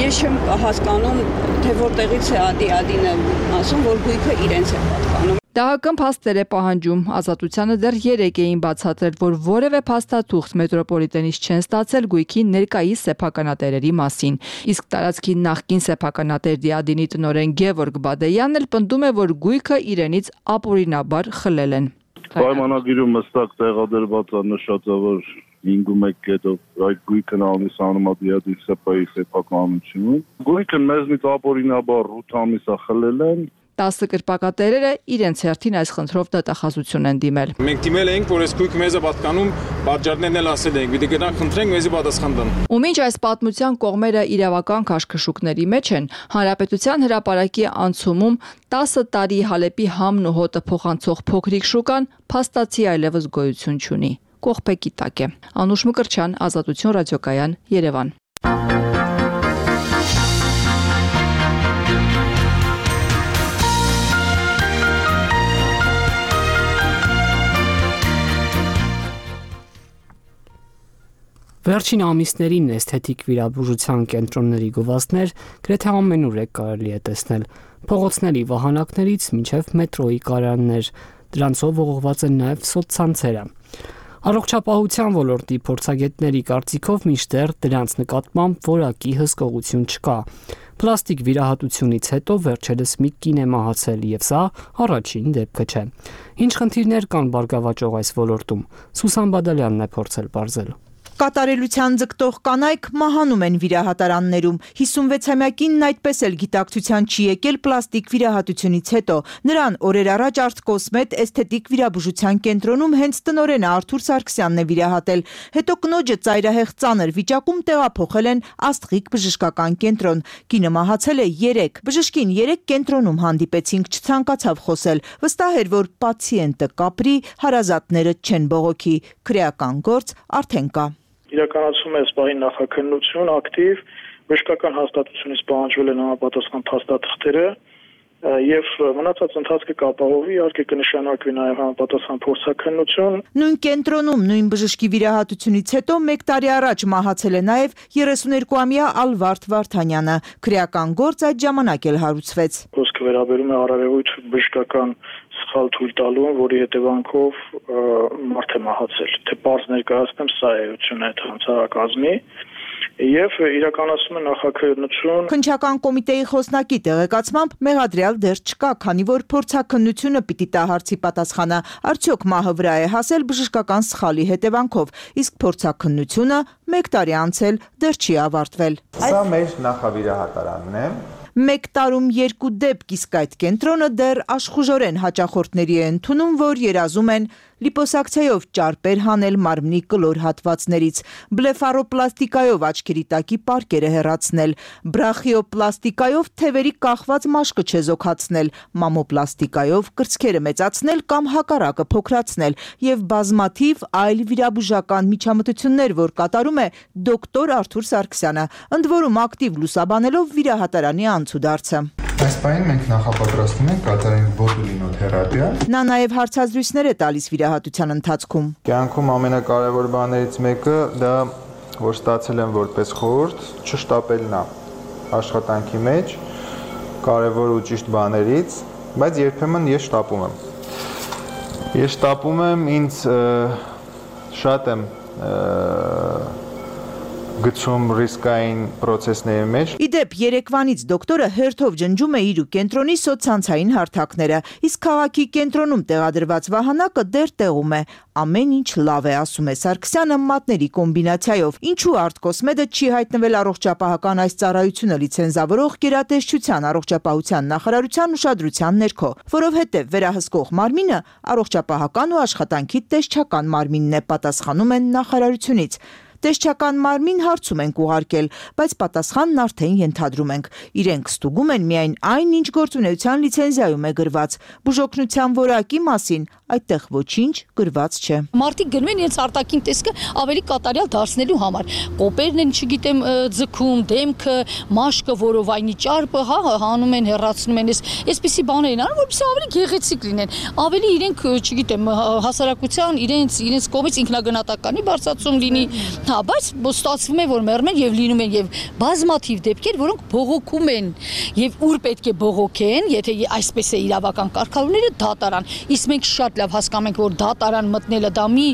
Ես չեմ հասկանում, թե որտեղից է դիադինը ասում, որ գույքը իրենց է պատկանում։ Դա փաստեր է պահանջում։ Ազատությանը դեռ երեկ էին բացատրել, որ որևէ փաստաթուղթ մետրոպոլիտենից չեն ստացել գույքի ներկայիս սեփականատերերի մասին։ Իսկ տարածքի նախկին սեփականատեր դիադինի տնօրեն Գևորգ Բադեյանն էլ պնդում է, որ գույքը իրենից ապօրինաբար խլել են։ Պայմանագիրում հստակ տեղադրված է նշած է, որ հինգ կետով այդ գույքն ամիսանում է դիադի սեփայի սեփականությունը։ Գույքը մեզնից ապօրինաբար ութ ամիս է խլել են։ տասը կրպակատերերը իրենց հերթին այս խնդրով դատախազություն են դիմել։ Մենք դիմել ենք, որ այս գույքը մեզ է պատկանում, պատճառներն էլ ասել ենք, պիտի գնանք խնդրենք, մեզի պատասխան տան։ Ու մինչ այս պատմության կողմերը իրավական քաշքշուկների մեջ են, Հանրապետության հրապարակի անցումում տասը տարի Հալեպի համն ու հոտը փոխանցող փոքրիկ շուկան փաստացի այլևս գոյություն չունի։ Կողպեկի տակ է։ Անուշ Մկրտչյան, Ազատություն ռադիոկայան, Երևան։ Վերջին ամիսներին էսթետիկ վիրաբուժության կենտրոնների գովազդներ գրեթե ամենուր է կարելի է տեսնել, փողոցների վահանակներից մինչև մետրոյի կայաններ, դրանցով ողողված են նաև սոցցանցերը։ Առողջապահության ոլորտի փորձագետների կարծիքով մինչդեռ դրանց նկատմամբ որակի հսկողություն չկա։ Պլաստիկ վիրահատությունից հետո վերջերս մի կին է մահացել, եւ սա առաջին դեպքը չէ։ Ինչ խնդիրներ կան բարգավաճող այս ոլորտում։ Սուսան Բադալյանն է փորձել բարձել։ Կատարելության ձգտող կանայք մահանում են վիրահատարաններում։ հիսունվեցամյա կինն այդպես էլ գիտակցության չի եկել պլաստիկ վիրահատությունից հետո։ Նրան օրեր առաջ Արտկոսմետ էսթետիկ վիրաբուժության կենտրոնում հենց տնօրենը Արթուր Սարգսյանն է վիրահատել։ Հետո կնոջը ծայրահեղ ծանր վիճակում տեղափոխել են Աստղիկ բժշկական կենտրոն։ Կինը մահացել է երեկ։ Բժշկին երեկ կենտրոնում հանդիպեցինք, չցանկացավ խոսել։ Վստահ էր, որ պացիենտը կապրի, հարազատները չեն բողոքի։ Քրեական գործ արդեն կա։ Իրականացում է սպայի նախաքննություն ակտիվ, բժշկական հաստատությունից պահանջվել են համապատասխան փաստաթղթերը եւ մնացած ընթացքը կապահովի, իհարկե կնշանակվի նաեւ համապատասխան փորձաքննություն։ Նույն կենտրոնում նույն բժշկի վիրահատությունից հետո մեկ տարի առաջ մահացել է նաեւ երեսուներկուամյա Ալվարդ Վարդանյանը։ Քրեական գործ այդ ժամանակ էլ հարուցվեց։ Խոսքը վերաբերում է արարևույթ բժշկական սխալ թույլ տալուն, որի հետևանքով մարդ է մահացել։ Թե պարզ ներկայացնեմ, սա է էությունը այդ հանցարակազմի եւ իրականացում է նախաքննություն։ Քննչական կոմիտեի խոսնակի տեղեկացմամբ մեղադրյալ դեռ չկա, քանի որ փորձաքննությունը պիտի տա հարցի պատասխանը, արդյոք մահը վրա է հասել բժշկական սխալի հետևանքով, իսկ փորձաքննությունը մեկ տարի անցել դեռ չի ավարտվել։ Սա մեր նախավիրահատարանն է։ Մեկ տարում երկու դեպք, իսկ այդ կենտրոնը դեռ աշխուժորեն հաճախորդների է ընդունում, որ երազում են լիպոսակցիայով ճարպեր հանել մարմնի կլոր հատվածներից, բլեֆարոպլաստիկայով աչքերի տակի պարկերը հեռացնել, բրախիոպլաստիկայով թևերի կախված մաշկը չեզոքացնել, մամոպլաստիկայով կրծքերը մեծացնել կամ հակառակը փոքրացնել եւ բազմաթիվ այլ վիրաբուժական միջամտություններ, որ կատարում է դոկտոր Արթուր Սարգսյանը, ընդ որում ակտիվ լուսաբանելով վիրահատարանի անցուդարձը։ Այս պահին մենք նախապատրաստում ենք կատարենք բոտուլինոթերապիա։ Նա նաև հարցազրույցներ է տալիս վիրահատության ընթացքում։ Կյանքում ամենակարևոր բաներից մեկը դա, որ ստացել եմ որպես խորհուրդ, չշտապելն է աշխատանքի մեջ, կարևոր ու ճիշտ բաներից, բայց երբեմն ես շտապում եմ։ Ես շտապում եմ, ինձ շատ եմ գցում ռիսկային process-ների մեջ։ Իդեպ երեկվանից դոկտորը հերթով ջնջում է իր ու կենտրոնի սոցցանցային հարթակները, իսկ քաղաքի կենտրոնում տեղադրված վահանակը դեռ տեղում է։ Ամեն ինչ լավ է, ասում է Սարգսյանը մատների կոմբինացիայով։ Ինչու Արտկոսմեդը չի հայտնվել առողջապահական այս ծառայությունը լիցենզավորող գերատեսչության առողջապահության նախարարության ուշադրության ներքո, որովհետև վերահսկող մարմինը առողջապահական ու աշխատանքի տեսչական մարմինն է, պատասխանում են նախարարությունից։ Տեսչական մարմին հարցում ենք ուղարկել, բայց պատասխանն արդեն ենթադրում ենք։ Իրենք ստուգում են միայն այն, ինչ գործունեության լիցենզիայում է գրված։ Բուժօգնության որակի մասին այդտեղ ոչինչ գրված չէ։ Մարդիկ գնում են իրենց արտաքին տեսքը ավելի կատարյալ դարձնելու համար։ Կոպերն են, չգիտեմ, ձգում, դեմքը, մաշկը, որովայնի ճարպը, հա, հանում են, հեռացնում են, այսպիսի բաներ են անում, որպեսզի ավելի գեղեցիկ լինեն։ Ավելի իրենք, չգիտեմ, հասարակության իրենց իրենց կողմից ինքնագնահատականի բարձրացում լինի։ Հա, բայց ստացվում է, որ մեռնում են եւ լինում են եւ բազմաթիվ դեպքեր, որոնք բողոքում են եւ ուր պետք է բողոքեն, եթե այսպես է իրավական կարգավորները դատարան։ Իսկ մենք շատ լավ հասկանում ենք, որ դատարան մտնելը դա մի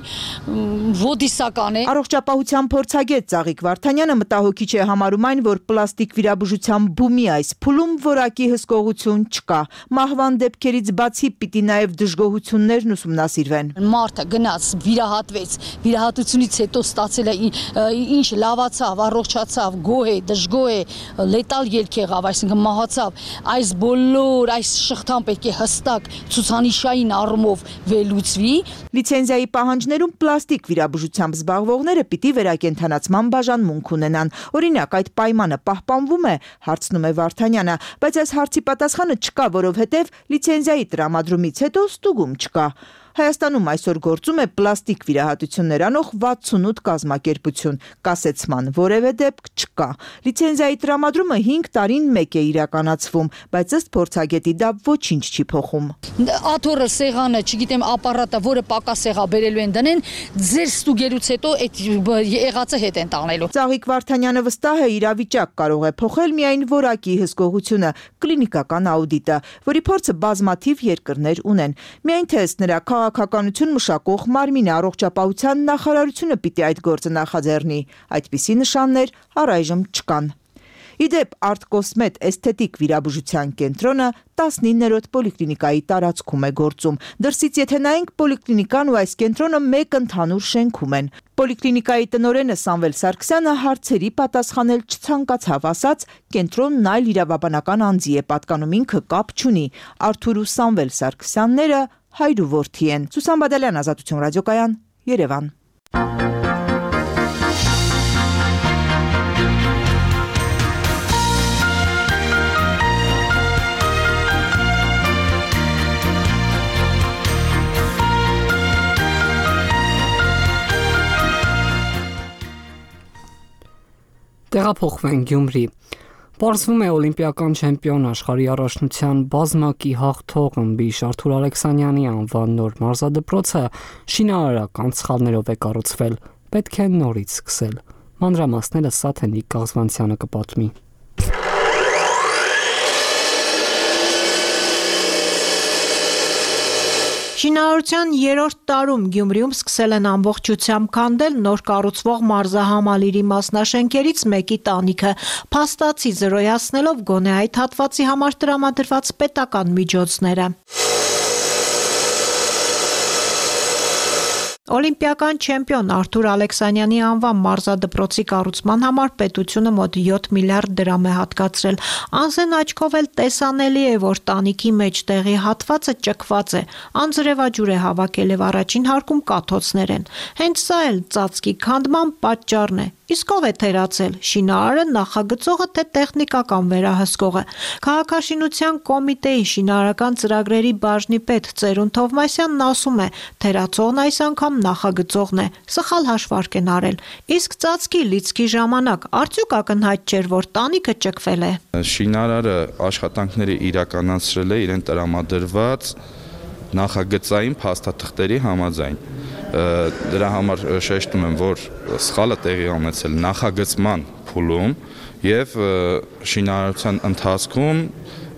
ոդիսական է։ Առողջապահության փորձագետ Ծաղիկ Վարդանյանը մտահոգիչ է համարում այն, որ պլաստիկ վիրաբուժության բումի այս փուլում որակի հսկողություն չկա։ Մահվան դեպքերից բացի պիտի նաեւ դժգոհություններն ուսումնասիրվեն։ Մարդը գնաց, վիրահատվեց, վիրահատությունից հետո ստացել է ինչ լավացավ, առողջացավ, գոհ է, դժգոհ է, լետալ ելք եղավ, այսինքն մահացավ։ Այս բոլոր այս շղթան պետք է հստակ ցուցանիշային առումով վերլուծվի։ Լիցենզիայի պահանջներում պլաստիկ վիրաբուժությամբ զբաղվողները պիտի վերակենդանացման բաժանմունք ունենան։ Օրինակ, այդ պայմանը պահպանվում է, հարցնում է Վարդանյանը, բայց այս հարցի պատասխանը չկա, որովհետև լիցենզիայի տրամադրումից հետո ստուգում չկա։ Հայաստանում այսօր գործում է պլաստիկ վիրահատություններ անող վաթսունութ կազմակերպություն, կասեցման որևէ դեպք չկա։ Լիցենզիայի տրամադրումը հինգ տարին մեկ է իրականացվում, բայց ըստ փորձագետի դա ոչինչ չի փոխում։ Աթոռը, սեղանը, չգիտեմ, ապարատը, որը պակաս եղա բերելու են դնեն, ձեր ստուգելուց հետո այդ եղածը հետ են տանելու։ Ծաղիկ Վարդանյանը վստահ է, իրավիճակ կարող է փոխել միայն որակի հսկողությունը, կլինիկական աուդիտը, որի փորձը բազմաթիվ երկրներ ունեն։ Միայն թե ըստ նրա քաղաքականություն մշակող մարմինը առողջապահության նախարարությունը պիտի այդ գործը նախաձեռնի։ Այդպիսի նշաններ առայժմ չկան։ Իդեպ Արտկոսմեդ էսթետիկ վիրաբուժության կենտրոնը տասնիններորդ պոլիկլինիկայի տարածքում է գործում։ Դրսից եթե նայենք, պոլիկլինիկան ու այս կենտրոնը մեկ ընդհանուր շենքում են։ Պոլիկլինիկայի տնօրենը Սամվել Սարգսյանը հարցերի պատասխանել չցանկացավ, ասաց, կենտրոնն այլ իրավաբանական անձի է պատկանում, ինքը կապ չունի։ Արթուր ու Սամվել Սարգսյանները հայր ու որդի են։ Սուսան Բադալյան, Ազատություն ռադիոկայան, Երևան։ Տեղափոխվենք Գյումրի։ Պարզվում է օլիմպիական չեմպիոն աշխարհի առաջնության բազմակի հաղթող ըմբիշ Արթուր Ալեքսանյանի անվան նոր մարզադպրոցը շինարարական սխալներով է կառուցվել, պետք է նորից սկսել։ Մանրամասները Սաթենիկ Կաղզվանցյանը կպատմի։ Շինարարության երրորդ տարում Գյումրիում սկսել են ամբողջությամբ քանդել նոր կառուցվող մարզահամալիրի մասնաշենքերից մեկի տանիքը, փաստացի զրոյացնելով գոնե այդ հատվածի համար տրամադրված պետական միջոցները։ Օլիմպիական չեմպիոն Արթուր Ալեքսանյանի անվան մարզադպրոցի կառուցման համար պետությունը մոտ յոթ միլիարդ դրամ է հատկացրել։ Անզեն աչքով էլ տեսանելի է, որ տանիքի մեջտեղի հատվածը ճկված է, անձրևաջուր է հավաքել եւ առաջին հարկում կաթոցներ են։ Հենց սա էլ ծածկի քանդման պատճառն է։ Իսկ ով է թերացել՝ շինարարը, նախագծողը, թե տեխնիկական վերահսկողը։ Քաղաքաշինության կոմիտեի շինարարական ծրագրերի բաժնի պետ Ծերուն Թովմասյանն ասում է, թերացողն այս անգամ նախագծողն է, սխալ հաշվարկ են արել։ Իսկ ծածկի լիցքի ժամանակ արդյոք ակնհայտ չէր, որ տանիքը ճկվել է։ Շինարարը աշխատանքները իրականացրել է իրեն տրամադրված նախագծային փաստաթղթերի համաձայն։ Դրա համար շեշտում եմ, որ սխալը տեղի ունեցել նախագծման փուլում եւ շինարարության ընթացքում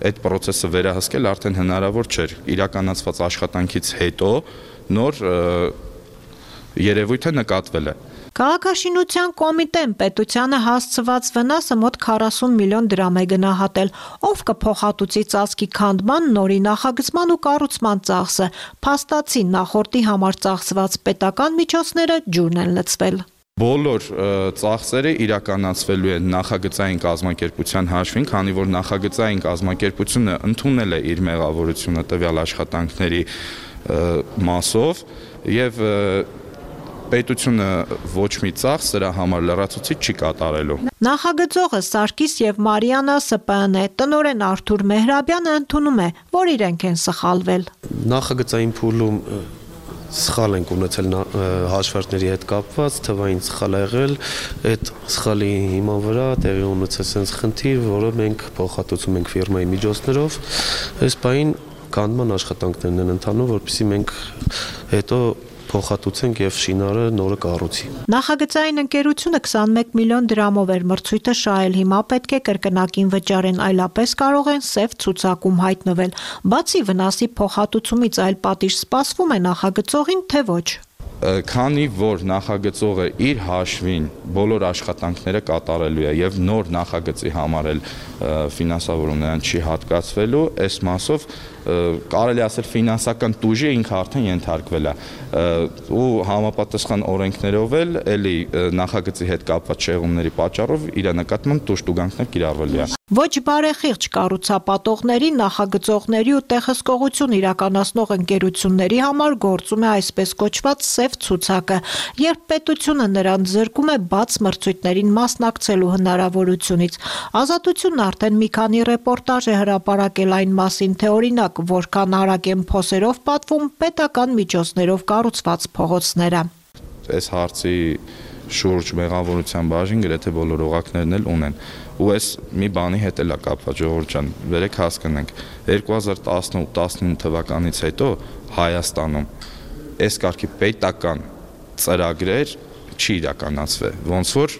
այդ process-ը վերահսկել արդեն հնարավոր չէր։ Իրականացված աշխատանքից հետո նոր երևույթը նկատվել է։ Քաղաքաշինության կոմիտեն պետությանը հասցված վնասը մոտ քառասուն միլիոն դրամ է գնահատել, ով կփոխհատուցի ծածկի քանդման, նորի նախագծման ու կառուցման ծախսը, փաստացի նախորդի համար ծախսված պետական միջոցները ջուրն են լցվել։ Բոլոր ծախսերը իրականացվելու են նախագծային կազմակերպության հաշվին, քանի որ նախագծային կազմակերպությունը ընդունել է իր մեղավորությունը տվյալ աշխատանքների մասով եւ պետությունը ոչ մի ծախս սրա համար լրացուցիչ չի կատարելու։ Նախագծողը Սարգիս եւ Մարիանա Ս Պ Ն է, տնօրեն Արթուր Մեհրաբյանը ընդունում է, որ իրենք են սխալվել։ Նախագծային փուլում սխալ ենք ունեցել հաշվարկների հետ կապված, թվային սխալ ա եղել, այդ սխալի հիման վրա տեղի ունեցել sense խնդիր, որը մենք փոխհատուցում ենք ֆիրմայի միջոցներով, այս բային կանդման աշխատանքներն են ընթանում, որպեսզի մենք հետո փոխհատուցենք եւ շինարարը նորը կառուցի։ Նախագծային ընկերությունը քսանմեկ միլիոն դրամով էր մրցույթը շահել, հիմա պետք է կրկնակին վճարեն, այլապես կարող են սև ցուցակում հայտնվել։ Բացի վնասի փոխհատուցումից այլ պատիժ սպասվում է նախագծողին, թե ոչ։ Քանի որ նախագծողը իր հաշվին բոլոր աշխատանքները կատարելու է եւ նոր նախագծի համար էլ ֆինանսավորում նրան չի հատկացվելու, այս մասով կարելի ասել ֆինանսական տուժի ինքը արդեն ենթարկվել է ու համապատասխան օրենքներով էլ էլի նախագծի հետ կապված շեղումների պատճառով իր նկատմամբ տուժտուգանքներ կիրառվելու է։ Ոչ բարեխիղճ կառուցապատողների, նախագծողների ու տեղհսկողություն իրականացնող ընկերությունների համար գործում է այսպես կոչված սև ցուցակը, երբ պետությունը նրանց զրկում է բաց մրցույթներին մասնակցելու հնարավորությունից։ Ազատությունն արդեն մի քանի ռեպորտաժ է հրապարակել այն մասին, թե օրինակ որքան արագ են փոսերով պատվում պետական միջոցներով կառուցված փողոցները։ Այս հարցի շուրջ մեղավորության բաժին գրեթե բոլոր օղակներն էլ ունեն։ Ու այս մի բանի հետ էլ է կապված, ժողովուրդ ջան, վերեք հասկանանք, երկու հազար տասնութ տասնինը թվականից հետո Հայաստանում այս կարգի պետական ծրագրեր չի իրականացվել, ոնց որ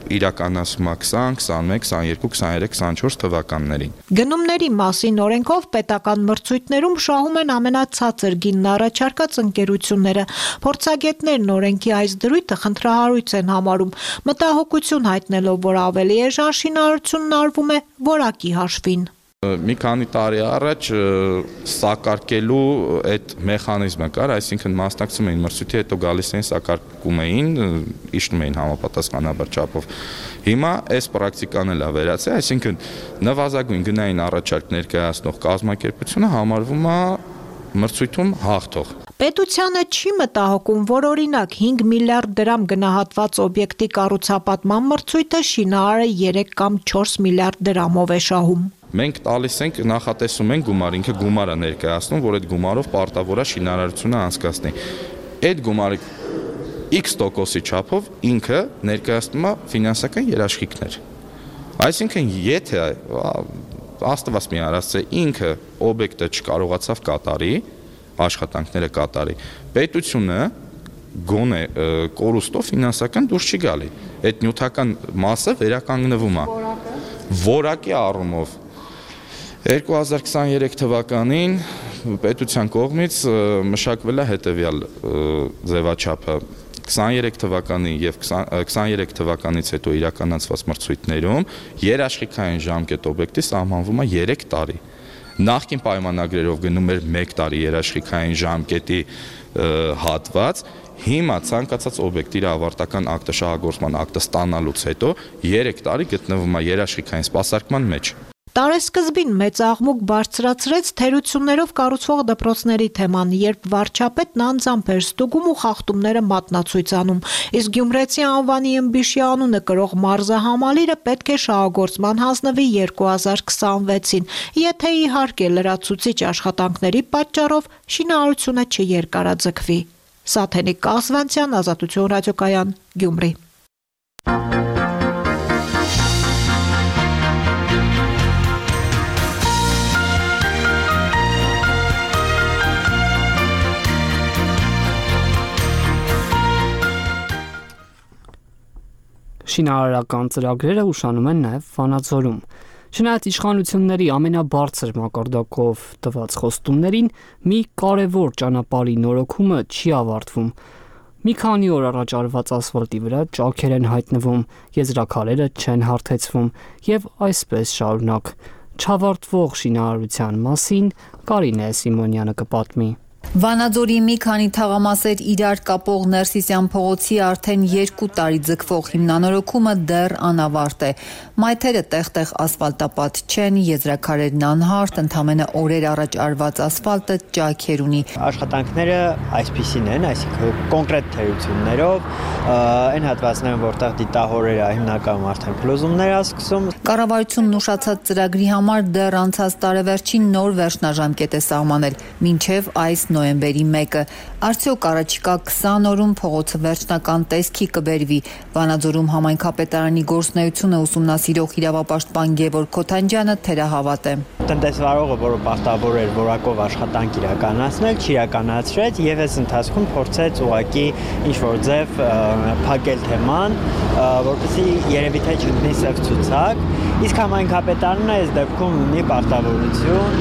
իրականացում է քսան, քսանմեկ, քսաներկու, քսաներեք, քսանչորս թվականներին։ Գնումների մասին օրենքով պետական մրցույթներում շահում են ամենացածր գինն առաջարկած ընկերությունները։ Փորձագետներն օրենքի այս դրույթը խնդրահարույց են համարում, մտահոգություն հայտնելով, որ ավելի էժան շինարարությունն արվում է որակի հաշվին։ Մի քանի տարի առաջ սակարկելու այդ մեխանիզմը կար, այսինքն մասնակցում էին մրցույթի, հետո գալիս էին սակարկում էին, իջնում էին համապատասխանաբար չափով։ Հիմա այս պրակտիկան էլ է վերացել, այսինքն նվազագույն գնային առաջարկ ներկայացնող կազմակերպությունը համարվում է մրցույթում հաղթող։ Պետությանը չի մտահոգում, որ օրինակ հինգ միլիարդ դրամ գնահատված օբյեկտի կառուցապատման մրցույթը շինարարը երեք կամ չորս միլիարդ դրամով է շահում։ Մենք տալիս ենք, նախատեսում ենք գումար, ինքը գումար է ներկայացնում, որ այդ գումարով պարտավոր է շինարարությունը անցկացնի։ Այդ գումարի X տոկոսի չափով ինքը ներկայացնում է ֆինանսական երաշխիքներ։ Այսինքն, եթե աստված մի արածը ինքը օբյեկտը չկարողացավ կատարի, աշխատանքները կատարի, պետությունը գոնե կորուստով ֆինանսական դուրս չի գալի։ Այդ նյութական մասը վերականգնվում է։ Որակի առումով երկու հազար քսաներեք թվականին պետության կողմից մշակվել է հետևյալ ձևաչափը քսաներեք թվականի եւ քսաներեք թվականից հետո իրականացված մրցույթներում երաշխիքային ժամկետ օբյեկտի սահմանվում է երեք տարի։ Նախկին պայմանագրերով գնում էր մեկ տարի երաշխիքային ժամկետի հատված, հիմա ցանկացած օբյեկտի իր ավարտական ակտը շահագործման ակտը ստանալուց հետո երեք տարի գտնվում է երաշխիքային սպասարկման մեջ։ Տարեսկզբին մեծ աղմուկ բարձրացրեց թերություններով կառուցվող դպրոցների թեման, երբ վարչապետն անձամբ էր ստուգում ու խախտումները մատնացույց անում, իսկ Գյումրեցի անվանի ըմբիշի անունը կրող մարզահամալիրը պետք է շահագործման հանձնվի երկու հազար քսանվեցին, եթե իհարկե լրացուցիչ աշխատանքների պատճառով շինարարությունը չերկարաձգվի։ Սաթենիկ Կասվանցյան, Ազատություն ռադիոկայան, Գյումրի։ Շինարարական ծրագրերը ուշանում են նաև Վանաձորում։ Չնայած իշխանությունների ամենաբարձր մակարդակով տված խոստումներին, մի կարևոր ճանապարհի նորոգումը չի ավարտվում։ Մի քանի օր առաջ արված ասֆալտի վրա ճաքեր են հայտնվում, եզրաքարերը չեն հարթեցվում եւ այսպես շարունակ։ Չավարտվող շինարարության մասին Կարինե Սիմոնյանը կպատմի։ Վանաձորի մի քանի թաղամասեր իրար կապող Ներսիսյան փողոցի արդեն երկու տարի ձգվող հիմնանորոգումը դեռ անավարտ է։ Մայթերը տեղ-տեղ ասֆալտապատ չեն, եզրաքարերն անհարթ, ընդամենը օրեր առաջ արված ասֆալտը ճաքեր ունի։ Աշխատանքները այսպիսին են, այսինքն կոնկրետ թերություններով, այն հատվածներում, որտեղ դիտահորերը հիմնականում արդեն փլուզումներ է սկսում։ Կառավարությունն ուշացած ծրագրի համար դեռ անցած տարեվերջին նոր վերջնաժամկետ է սահմանել, մինչև այս նոյեմբերի մեկը։ Արդյոք առաջիկա քսան օրում փողոցը վերջնական տեսքի կբերվի։ Վանաձորում համայնքապետարանի գործունեությունը ուսումնասիրող իրավապաշտպան Գևորգ Քոթանջյանը թերահավատ է։ Տնտեսվարողը, որը պարտավոր էր որակով աշխատանք իրականացնել, չիրականացրեց եւ այս ընթացքում փորձեց ուղղակի ինչ-որ ձև փակել թեման, որպեսզի երևի թե չընկնի սև ցուցակ։ Իսկ համայնքապետարանը այս դեպքում ունի պարտավորություն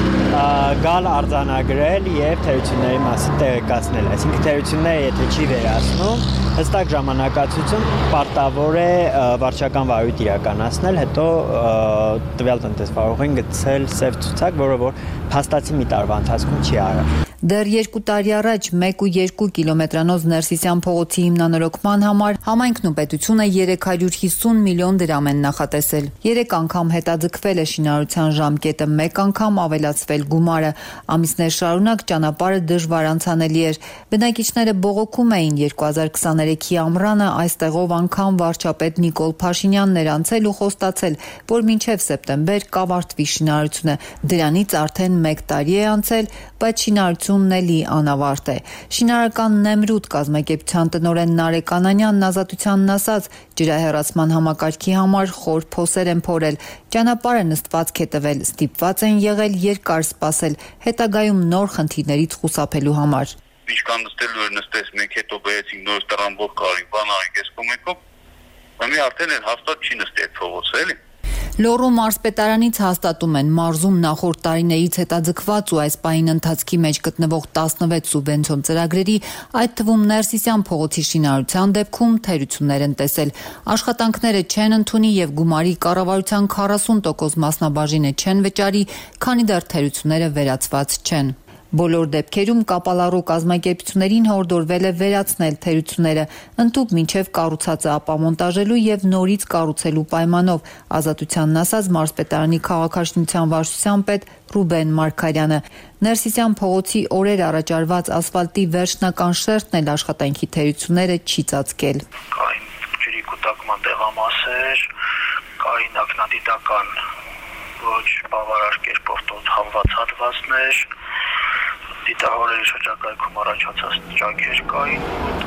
գալ արձանագրել եւ թերությունների մասին տեղեկացնել։ Այսինքն թերությունները եթե չի վերացնում, հստակ ժամանակացություն պարտավոր է վարչական վարույթ իրականացնել, հետո տվյալ տնտեսվարողին գցել սև ցուցակ, որը որ փաստացի մի տարվա ընթացքում չի արել։ Դեռ երկու տարի առաջ մեկ ու երկու կիլոմետրանոց Ներսիսյան փողոցի հիմնանորոգման համար համայնքն ու պետությունը երեք հարյուր հիսուն միլիոն դրամ են նախատեսել։ Երեք անգամ հետաձգվել է շինարարության ժամկետը, մեկ անգամ ավելացվել գումարը։ Ամիսներ շարունակ ճանապարհը դժվար անցանելի էր։ Բնակիչները բողոքում էին երկու հազար քսաներեքի ամռանը այստեղով անգամ վարչապետ Նիկոլ Փաշինյանն էր անցել ու խոստացել, որ մինչև սեպտեմբեր կավարտվի շինարարությունը։ Դրանից արդեն մեկ տարի է անցել, բայց շինարարությունն էլի անավարտ է։ Շինարարական Նեմրութ կազմակերպության տնօրեն Նարեկ Անանյանն ազատությանն ասաց, ջրահեռացման համակարգի համար խոր փոսեր են փորել, ճանապարհը նստվածք է տվել, ստիպված են եղել երկար սպասել, հետագայում նոր խնդիրներից խուսափելու համար։ Ինչքան նստելու էր նստես մենք, հետո բերեցինք նոր տրամբով կարին, բան արինք այս կողմեկով, մի արդեն էլ հաստատ չի նստի այդ փողոցը, էլի։ Լոռու մարզպետարանից հաստատում են մարզում նախորդ տարիներից հետաձգված ու այս պահին ընթացքի մեջ գտնվող տասնվեց սուբվենցիոն ծրագրերի, այդ թվում Ներսիսյան փողոցի շինարարության դեպքում թերություններ են տեսել։ Աշխատանքները չեն ընդունի եւ գումարի կառավարության քառասուն տոկոս մասնաբաժինը չեն վճարի, քանի դեռ թերությունները վերացված չեն։ Բոլոր դեպքերում կապալառու կազմակերպություններին հորդորվել է վերացնել թերությունները, ընդհուպ մինչև կառուցածը ապամոնտաժելու եւ նորից կառուցելու պայմանով, ազատությանն ասաց մարզպետարանի քաղաքաշինության վարչության պետ Ռուբեն Մարգարյանը։ Ներսիսյան փողոցի օրեր առաջ արված ասֆալտի վերջնական շերտն էլ աշխատանքի թերությունները չի ծածկել։ Կային ջրի կուտակման տեղամասեր, կային ակնադիտական ոչ բավարար կերպով տոտալված հատվածներ, դիտահորերի շրջակայքում առաջացած ճաքեր կային,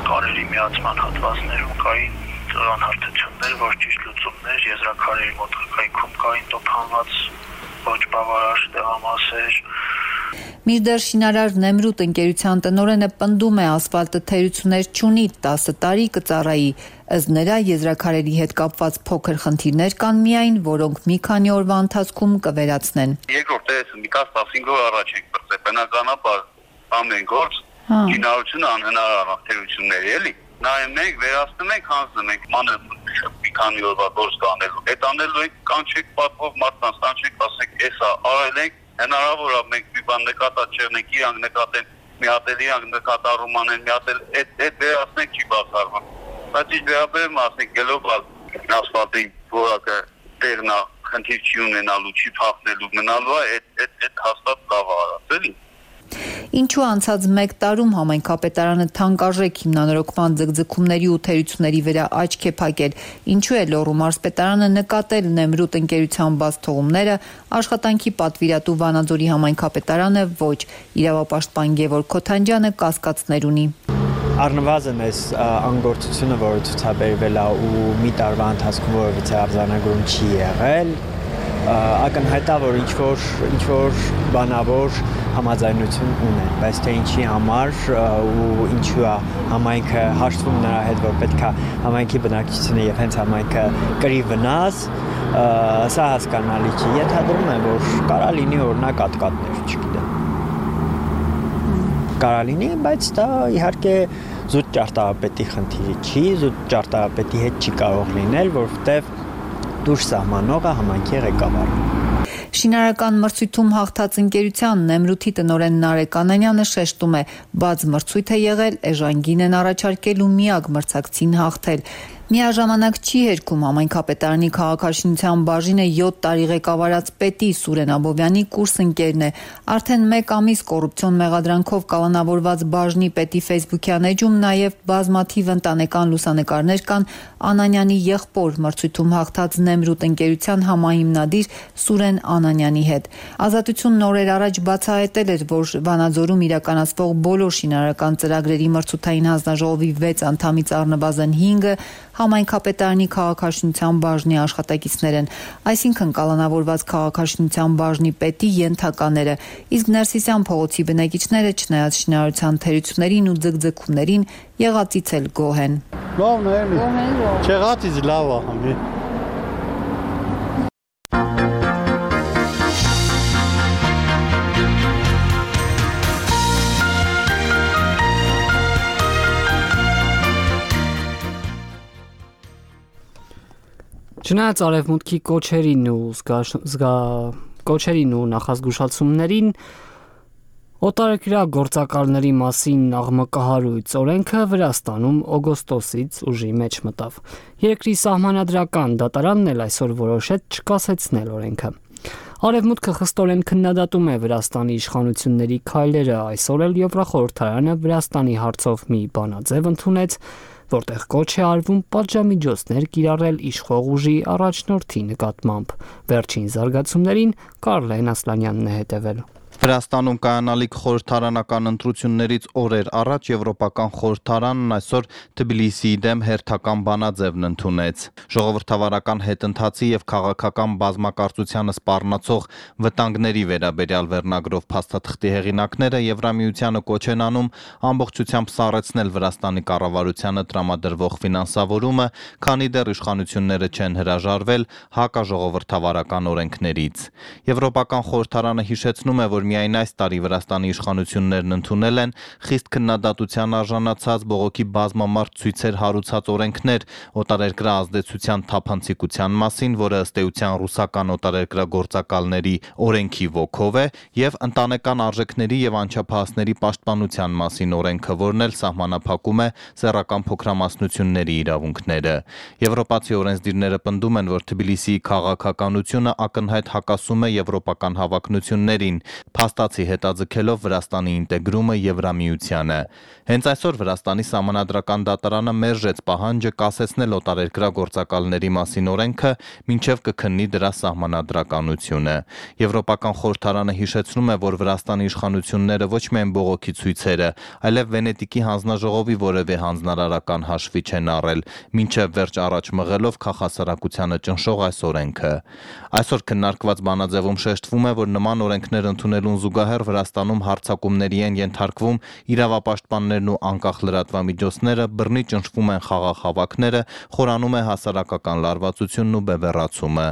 կարերի միացման հատվածներում կային անհարթություններ, ոչ ճիշտ լուծումներ, եզրաքարերի մոտակայքում կային տոփանված ոչ բավարար տեղամասեր։ Մինչդեռ շինարար Նեմրութ ընկերության տնօրենը պնդում է ասֆալտը թերություններ չունի, տասը տարի կծառայի, ըստ նրա եզրաքարերի հետ կապված փոքր խնդիրներ կան միայն, որոնք մի քանի օրվա ընթացքում կվերացնեն։ Երկրորդ էս մի տասնcinque օր առաջ ենք բրծել, բնականաբար ամեն գործ շինարարությունը անհնար թերություններ էլի։ Նայում ենք, վերացնում ենք, հանձնում ենք, մանր մի քանի օրվա գործ կանելու։ Այդ անելու ենք, կանչեք պատվով մարդկանց, կանչեք, ասենք, էսա արել ենք, հնարավոր է մենք մի բան նկատած չեղնենք, իրանք նկատեն, մի հատ էլ իրանք նկատառում անեն, մի հատ էլ այդ այդ վերացնենք չի բացառվում։ Բայց ինչ վերաբերում ասենք գլոբալ ասֆալտի որակը տեղնա խնդիր չի ունենալու, չի փախնելու, մնալու է այդ այդ այդ հաստատ լավ արած էլի։ Ինչու անցած մեկ տարում համայնքապետարանը թանկարժեք հիմնանորոգման ձգձգումների ու թերությունների վրա աչք է փակել, ինչու է Լոռու մարզպետարանը նկատել Նեմրութ ընկերության բաց թողումները, աշխատանքի պատվիրատու Վանաձորի համայնքապետարանը ոչ, իրավապաշտպան Գևորգ Քոթանջյանը կասկածներ ունի։ Առնվազն այս անգործությունը, որը ցուցաբերվել է ու մի տարվա ընթացքում որևիցե արձանագրում չի եղել, ակնհայտ է, որ ինչ-որ ինչ-որ բանավոր համաձայնություն ունեն, բայց թե ինչի համար ու ինչու է համայնքը հաշտվում նրա հետ, որ պետք է համայնքի բնակչությունը եւ հենց համայնքը կրի վնաս, սա հասկանալի չի։ Ենթադրում եմ, որ կարա լինի օրինակ ատկատներ, չգիտեմ։ Կարա լինի, բայց դա իհարկե զուտ ճարտարապետի խնդիրը չի, զուտ ճարտարապետի հետ չի կարող լինել, որովհետև դուրս սահմանողը համայնքի ղեկավարն է։ Շինարարական մրցույթում հաղթած ընկերության Նեմրութի տնօրեն Նարեկ Անանյանը շեշտում է, բաց մրցույթ է եղել, էժան գին են առաջարկել ու միակ մրցակցին հաղթել։ Միաժամանակ չի հերքում համայնքապետարանի քաղաքաշինության բաժինը յոթ տարի ղեկավարած պետի Սուրեն Աբովյանի կուրսընկերն է։ Արդեն մեկ ամիս կոռուպցիոն մեղադրանքով կալանավորված բաժնի պետի ֆեյսբուքյան էջում նաև բազմաթիվ ընտանեկան լուսանկարներ կան Անանյանի եղբոր մրցույթում հաղթած Նեմրութ ընկերության համահիմնադիր Սուրեն Անանյանի հետ։ Ազատությունն օրեր առաջ բացահայտել էր, որ Վանաձորում իրականացվող բոլոր շինարարական ծրագրերի մրցութային հանձնաժողովի վեց անդամից առնվազն հինգը համայնքապետարանի քաղաքաշինության բաժնի աշխատակիցներ են, այսինքն կալանավորված քաղաքաշինության բաժնի պետի ենթակաները, իսկ Ներսիսյան փողոցի բնակիչները չնայած շինարարության թերություններին ու ձգձգումներին եղածից էլ գոհ են։ Լավն է, էլի։ Չեղածից լավ է համի։ Չնայած արևմուտքի կոչերին ու զգա կոչերին ու նախազգուշացումներին օտարերկրյա գործակալների մասին աղմկահարույց օրենքը Վրաստանում օգոստոսից ուժի մեջ մտավ։ Երկրի սահմանադրական դատարանն էլ այսօր որոշեց չկասեցնել օրենքը։ Արևմուտքը խստորեն քննադատում է Վրաստանի իշխանությունների քայլերը, այսօր էլ Եվրախորհրդարանը Վրաստանի հարցով մի բանաձև ընդունեց, որտեղ կոչ է արվում պատժամիջոցներ կիրառել իշխող ուժի առաջնորդի նկատմամբ։ Վերջին զարգացումներին Կարլեն Ասլանյանն է հետևել։ Վրաստանում կայանալիք խորհրդարանական ընտրություններից օրեր առաջ Եվրոպական խորհրդարանն այսօր Թբիլիսիի դեմ հերթական բանաձևն ընդունեց։ Ժողովրդավարական հետընթացի եւ քաղաքական բազմակարծությանը սպառնացող վտանգների վերաբերյալ վերնագրով փաստաթղթի հեղինակները Եվրամիությանը կոչ են անում ամբողջությամբ սառեցնել Վրաստանի կառավարությանը տրամադրվող ֆինանսավորումը, քանի դեռ իշխանությունները չեն հրաժարվել հակաժողովրդավարական օրենքներից։ Եվրոպական խորհրդարանը հիշեցնում է, որ միայն այս տարի Վրաստանի իշխանություններն ընդունել են խիստ քննադատության արժանացած բողոքի բազմամարդ ցույցեր հարուցած օրենքներ օտարերկրյա ազդեցության թափանցիկության մասին, որը ըստ էության ռուսական օտարերկրյա գործակալների օրենքի ոգով է, եւ ընտանեկան արժեքների եւ անչափահասների պաշտպանության մասին օրենքը, որն էլ սահմանափակում է սեռական փոքրամասնությունների իրավունքները։ Եվրոպացի օրենսդիրները պնդում են, որ Թբիլիսիի քաղաքականությունը ակնհայտ հակասում է եվրոպական հավակնություններին, փաստացի հետաձգելով Վրաստանի ինտեգրումը Եվրամիությանը։ Հենց այսօր Վրաստանի սահմանադրական դատարանը մերժեց պահանջը կասեցնել օտարերկրյա գործակալների մասին օրենքը, մինչև կքննի դրա սահմանադրականությունը։ Եվրոպական խորհրդարանը հիշեցնում է, որ Վրաստանի իշխանությունները ոչ միայն բողոքի ցույցերը, այլև Վենետիկի հանձնաժողովի որևէ հանձնարարական հաշվի չեն առել, մինչև վերջ առաջ մղելով քաղաքասարակությանը ճնշող այս օրենքը։ Այսօր քննարկված բանաձևում շեշտվում է, որ նման օրենքներ ընդունելուն զուգահեռ Վրաստանում հարձակումների են ենթարկվում իրավապաշտպաններն ու անկախ լրատվամիջոցները, բռնի ճնշվում են խաղաղ հավաքները, խորանում է հասարակական լարվածությունն ու բևեռացումը։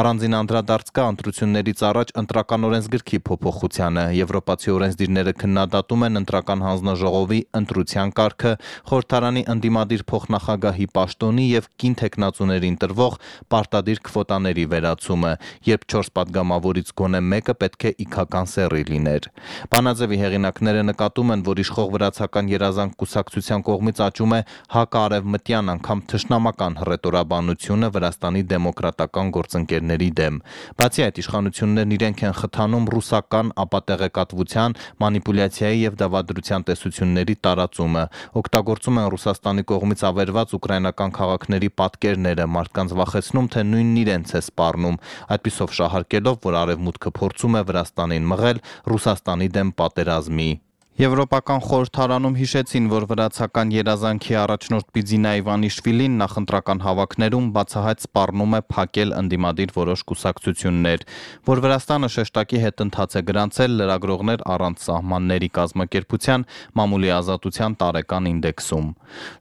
Առանձին անդրադարձ կա ընտրություններից առաջ ընտրական օրենսգրքի փոփոխությանը։ Եվրոպացի օրենսդիրները քննադատում են ընտրական հանձնաժողովի ընտրության կարգը, խորհրդարանի ընդդիմադիր փոխնախագահի պաշտոնի եւ կին թեկնածուներին տրվող պարտադիր քվոտաների վերացումը, երբ չորս պատգամավորից գոնե մեկը պետք է իքական սեռի լիներ։ Բանաձևի հեղինակները նկատում են, որ իշխող վրացական երազանք կուսակցության կողմից աճում է հակաարևմտյան, անգամ թշնամական հռետորաբանությունը Վրաստանի դեմոկրատական գործընկերների դեմ։ Բացի այդ, իշխանություններն իրենք են խթանում ռուսական ապատեղեկատվության, մանիպուլյացիայի եւ դավադրության տեսությունների տարածումը, օգտագործում են Ռուսաստանի կողմից ավերված ուկրաինական քաղաքների պատկերները, մարդկանց վախեցնում, թե նույնն իրենց է սպառնում, այդպիսով շահարկելով, որ արևմուտքը փորձում է Վրաստանին մղել Ռուսաստանի դեմ պատերազմի։ Եվրոպական խորհրդարանում հիշեցին, որ վրացական երազանքի առաջնորդ Բիձինա Իվանիշվիլին նախընտրական հավաքներում բացահայտ սպառնում է փակել ընդդիմադիր որոշ կուսակցություններ, որ Վրաստանը շեշտակի հետընթաց է գրանցել լրագրողներ առանց սահմանների կազմակերպության մամուլի ազատության տարեկան ինդեքսում։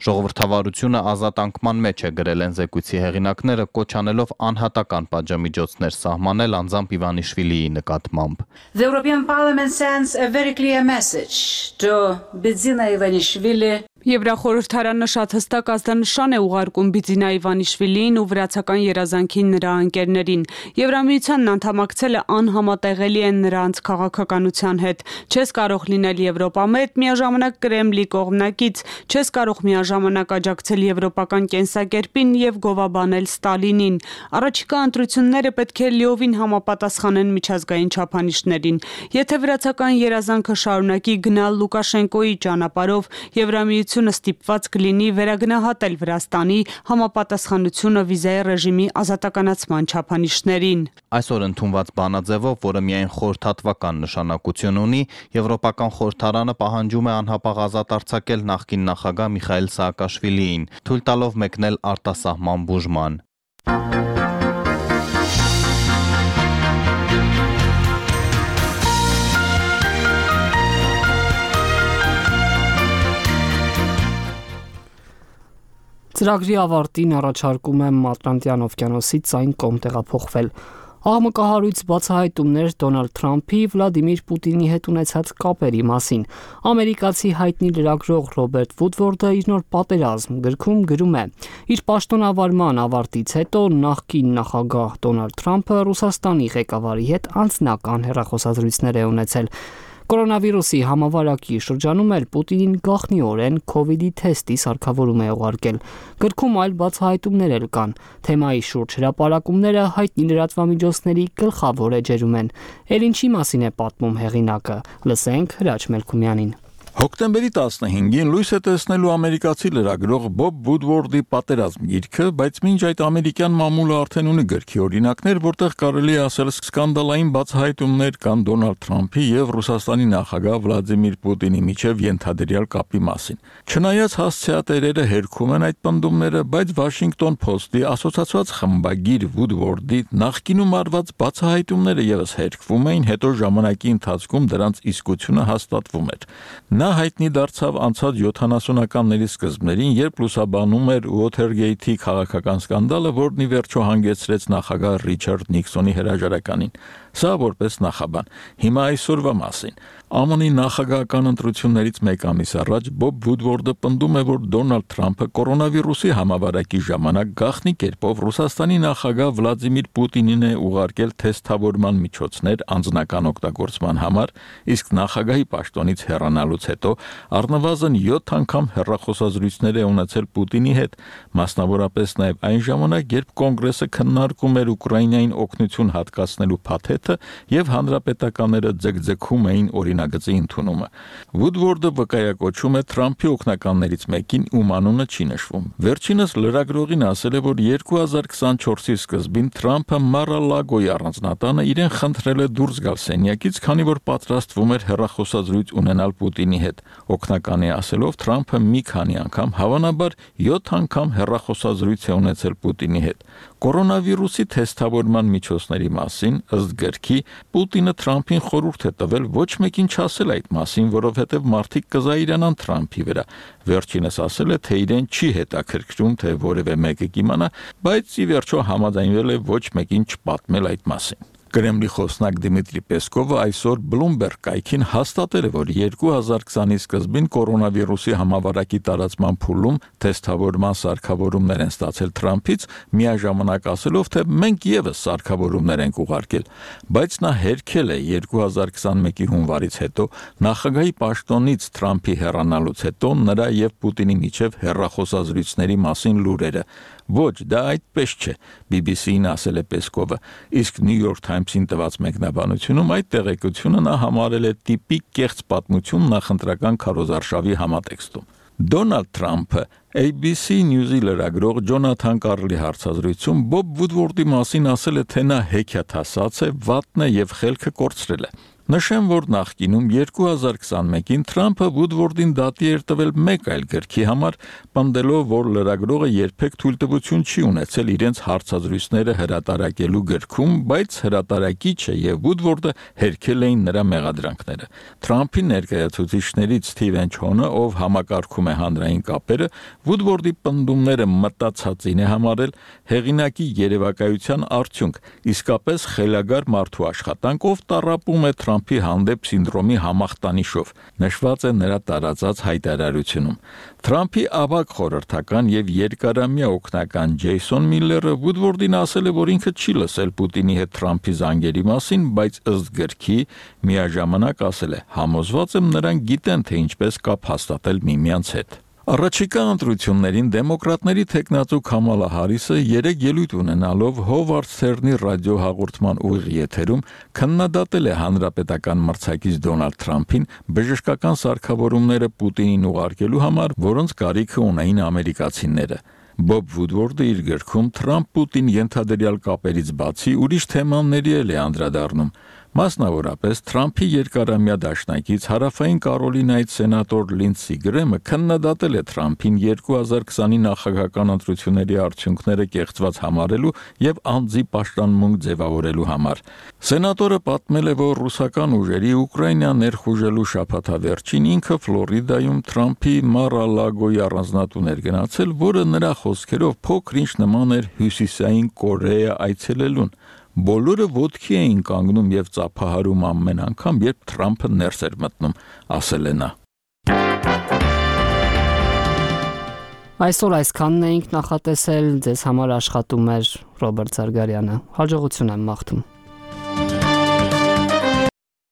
Ժողովրդավարությունը ազատ անկման մեջ է գրել են զեկույցի հեղինակները, կոչ անելով անհատական պատժամիջոցներ սահմանել անձամբ Իվանիշվիլիի նկատմամբ։ The European Parliament sends a very clear message to Bidzina Ivanishvili Եվրախորհրդարանը շատ հստակ ազդանշան է ուղարկում Բիձինա Իվանիշվիլիին ու վրացական երազանքին նրա ընկերներին։ Եվրամիությանն անդամակցելը անհամատեղելի են նրանց քաղաքականության հետ։ Չես կարող լինել Եվրոպամետ, միաժամանակ Կրեմլի կողմնակից, չես կարող միաժամանակ աջակցել եվրոպական կենսակերպին եւ գովաբանել Ստալինին։ Առաջիկա ընտրությունները պետք է լիովին համապատասխանեն միջազգային չափանիշներին։ Եթե վրացական երազանքը շարունակի գնալ Լուկաշենկոյի ճանապարհով, Եվրամիությունը ստիպված կլինի վերագնահատել Վրաստանի համապատասխանությունը վիզայի ռեժիմի ազատականացման չափանիշներին։ Այսօր ընդունված բանաձևով, որը միայն խորհրդատվական նշանակություն ունի, Եվրոպական խորհրդարանը պահանջում է անհապաղ ազատ արձակել նախկին նախագահ Միխայիլ Սաակաշվիլիին, թույլ տալով մեկնել արտասահման բուժման։ Ծրագրի ավարտին առաջարկում է Ատլանտյան օվկիանոսից այն կողմ տեղափոխվել։ Աղմկահարույց բացահայտումներ Դոնալդ Թրամփի Վլադիմիր Պուտինի հետ ունեցած կապերի մասին։ Ամերիկացի հայտնի լրագրող Ռոբերտ Վուդվորդը իր նոր պատերազմ գրքում գրում է. Իր պաշտոնավարման ավարտից հետո նախկին նախագահ Դոնալդ Թրամփը Ռուսաստանի ղեկավարի հետ անձնական հեռախոսազրույցներ է ունեցել։ Կորոնավիրուսի համավարակի շրջանում էլ Պուտինին գաղտնիորեն քովիդի թեստի սարքավորում է ուղարկել։ Գրքում այլ բացահայտումներ էլ կան։ Թեմայի շուրջ հրապարակումները հայտնի լրատվամիջոցների գլխավոր էջերում են։ Էլ ինչի մասին է պատմում հեղինակը։ Լսենք Հրաչ Մելքումյանին։ Հոկտեմբերի տասնհինգին լույս է տեսնելու ամերիկացի լրագրող Բոբ Վուդվորդի պատերազմ գիրքը, բայց մինչ այդ ամերիկյան մամուլը արդեն ունի գրքի օրինակներ, որտեղ կարելի է ասել սկանդալային բացահայտումներ կան Դոնալդ Թրամփի եւ Ռուսաստանի նախագահ Վլադիմիր Պուտինի միջև ենթադրյալ կապի մասին։ Չնայած հասցեատերերը հերքում են այդ պնդումները, բայց Washington Post-ի ասոցացված խմբագիր Վուդվորդի նախկինում արված բացահայտումները եւս հերքվում էին, հետո ժամանակի ընթացքում դրանց իսկությունը հաստատվում էր։ Նա հայտնի դարձավ անցած յոթանասունականների սկզբներին, երբ լուսաբանում էր Watergate-ի քաղաքական սկանդալը, որն ի վերջո հանգեցրեց նախագահ Ռիչարդ Նիքսոնի հրաժարականին։ Սա որպես նախաբան։ Հիմա այսօրվա մասին։ ԱՄՆ-ի նախագահական ընտրություններից մեկ ամիս առաջ Բոբ Վուդվորդը պնդում է, որ Դոնալդ Թրամփը կորոնավիրուսի համավարակի ժամանակ գաղտնի կերպով Ռուսաստանի նախագահ Վլադիմիր Պուտինին է ուղարկել թեստավորման միջոցներ անձնական օգտագործման համար, իսկ նախագահի պաշտոնից հեռանալուց հետո առնվազն յոթ անգամ հեռախոսազրույցներ է ունեցել Պուտինի հետ, մասնավորապես նաև այն ժամանակ, երբ կոնգրեսը քննարկում էր Ուկրաինային օգնություն հատկացնելու փաթեթը եւ հանրապետականները ձգձգում էին օրինագծի ընդունումը։ Վուդվորդը վկայակոչում է Թրամփի օգնականներից մեկին, ում անունը չի նշվում։ Վերջինս լրագրողին ասել է, որ երկու հազար քսանչորսի սկզբին Թրամփը Մարալագոյի առանձնատանը իրեն խնդրել է դուրս գալ սենյակից, քանի որ պատրաստվում էր հեռախոսազրույց ունենալ Պուտինի հետ։ Օգնականի ասելով Թրամփը մի քանի անգամ, հավանաբար յոթ անգամ հեռախոսազրույց է ունեցել Պուտինի հետ։ Կորոնավիրուսի թեստավորման միջոցների մասին ըստ գրքի Պուտինը Թրամփին խորհուրդ է տվել ոչ մեկին չասել այդ մասին, որովհետև մարդիկ կզայրանան Թրամփի վրա։ Վերջինս ասել է, թե իրեն չի հետաքրքրում, թե որևէ մեկը կիմանա, բայց ի վերջո համաձայնվել է ոչ մեկին չպատմել այդ մասին։ Կրեմլի խոսնակ Դիմիտրի Պեսկովը այսօր Bloomberg կայքին հաստատել է, որ երկու հազար քսանի սկզբին կորոնավիրուսի համավարակի տարածման փուլում թեստավորման սարքավորումներ են ստացել Թրամփից, միաժամանակ ասելով, թե մենք եւս սարքավորումներ ենք ուղարկել, բայց նա հերքել է երկու հազար քսանմեկի հունվարից հետո նախագահի պաշտոնից Թրամփի հեռանալուց հետո նրա եւ Պուտինի միջև հեռախոսազրույցների մասին լուրերը։ Ոչ, դա այդպես չէ, բի բի սի-ին ասել է Պեսկովը, իսկ New York Times-ին տված մեկնաբանությունում այդ տեղեկությունը նա համարել է տիպիկ կեղծ պատմություն նախընտրական քարոզարշավի համատեքստում։ Դոնալդ Թրամփը A B C News-ի լրագրող Ջոնաթան Կարլի հարցազրույցում Բոբ Վուդվորդի մասին ասել է, թե նա հեքիաթասաց է, վատն է եւ խելքը կորցրել է։ Նշեմ, որ նախկինում երկու հազար քսանմեկին Թրամփը Վուդվորդին դատի էր տվել մեկ այլ գրքի համար, պնդելով, որ լրագրողը երբեք թույլտվություն չի ունեցել իրենց հարցազրույցները հրատարակելու գրքում, բայց հրատարակիչը եւ Վուդվորդը հերքել էին նրա մեղադրանքները։ Թրամփի ներկայացուցիչներից Սթիվեն Չոնը, ով համակարգում է հանրային կապերը, Վուդվորդի պնդումները մտածածին է համարել, հեղինակի երևակայության արդյունք, իսկապես խելագար մարդու աշխատանքով տառապում է Թրամփ Թրամփի հանդեպ սինդրոմի համախտանիշով, նշված է նրա տարածած հայտարարությունում։ Թրամփի ավագ խորհրդական եւ երկարամյա օգնական Ջեյսոն Միլլերը Վուդվորդին ասել է, որ ինքը չի լսել Պուտինի հետ Թրամփի զանգերի մասին, բայց ըստ գրքի միաժամանակ ասել է. «Համոզված եմ նրանք գիտեն, թե ինչպես կապ հաստատել միմյանց հետ»։ Առաջիկա ընտրություններին դեմոկրատների թեկնածու Քամալա Հարիսը երեք ելույթ ունենալով Հովարդ Սթերնի ռադիոհաղորդման ուղիղ եթերում քննադատել է հանրապետական մրցակից Դոնալդ Թրամփին բժշկական սարքավորումները Պուտինին ուղարկելու համար, որոնց կարիքը ունեին ամերիկացիները։ Բոբ Վուդվորդը իր գրքում Թրամփ-Պուտին ենթադրյալ կապերից բացի ուրիշ թեմաների էլ է անդրադառնում։ Մասնավորապես Թրամփի երկարամյա դաշնակից Հարավային Կարոլինայից սենատոր Լինդսի Գրեմը քննադատել է Թրամփին երկու հազար քսանի նախագահական ընտրությունների արդյունքները կեղծված համարելու եւ անձի պաշտամունք ձևավորելու համար։ Սենատորը պատմել է, որ ռուսական ուժերի Ուկրաինա ներխուժելու շաբաթավերջին ինքը Ֆլորիդայում Թրամփի Մար-a-Լագոյի առանձնատուն էր գնացել, որը նրա խոսքերով փոքր-ինչ նման էր Հյուսիսային Կորեա այցելելուն։ Բոլորը ոտքի էին կանգնում եւ ծափահարում ամեն անգամ, երբ Թրամփը ներս էր մտնում, ասել է նա։ Այսօր այսքանն էինք նախատեսել, ձեզ համար աշխատում էր Ռոբերտ Զարգարյանը։ Հաջողություն եմ մաղթում։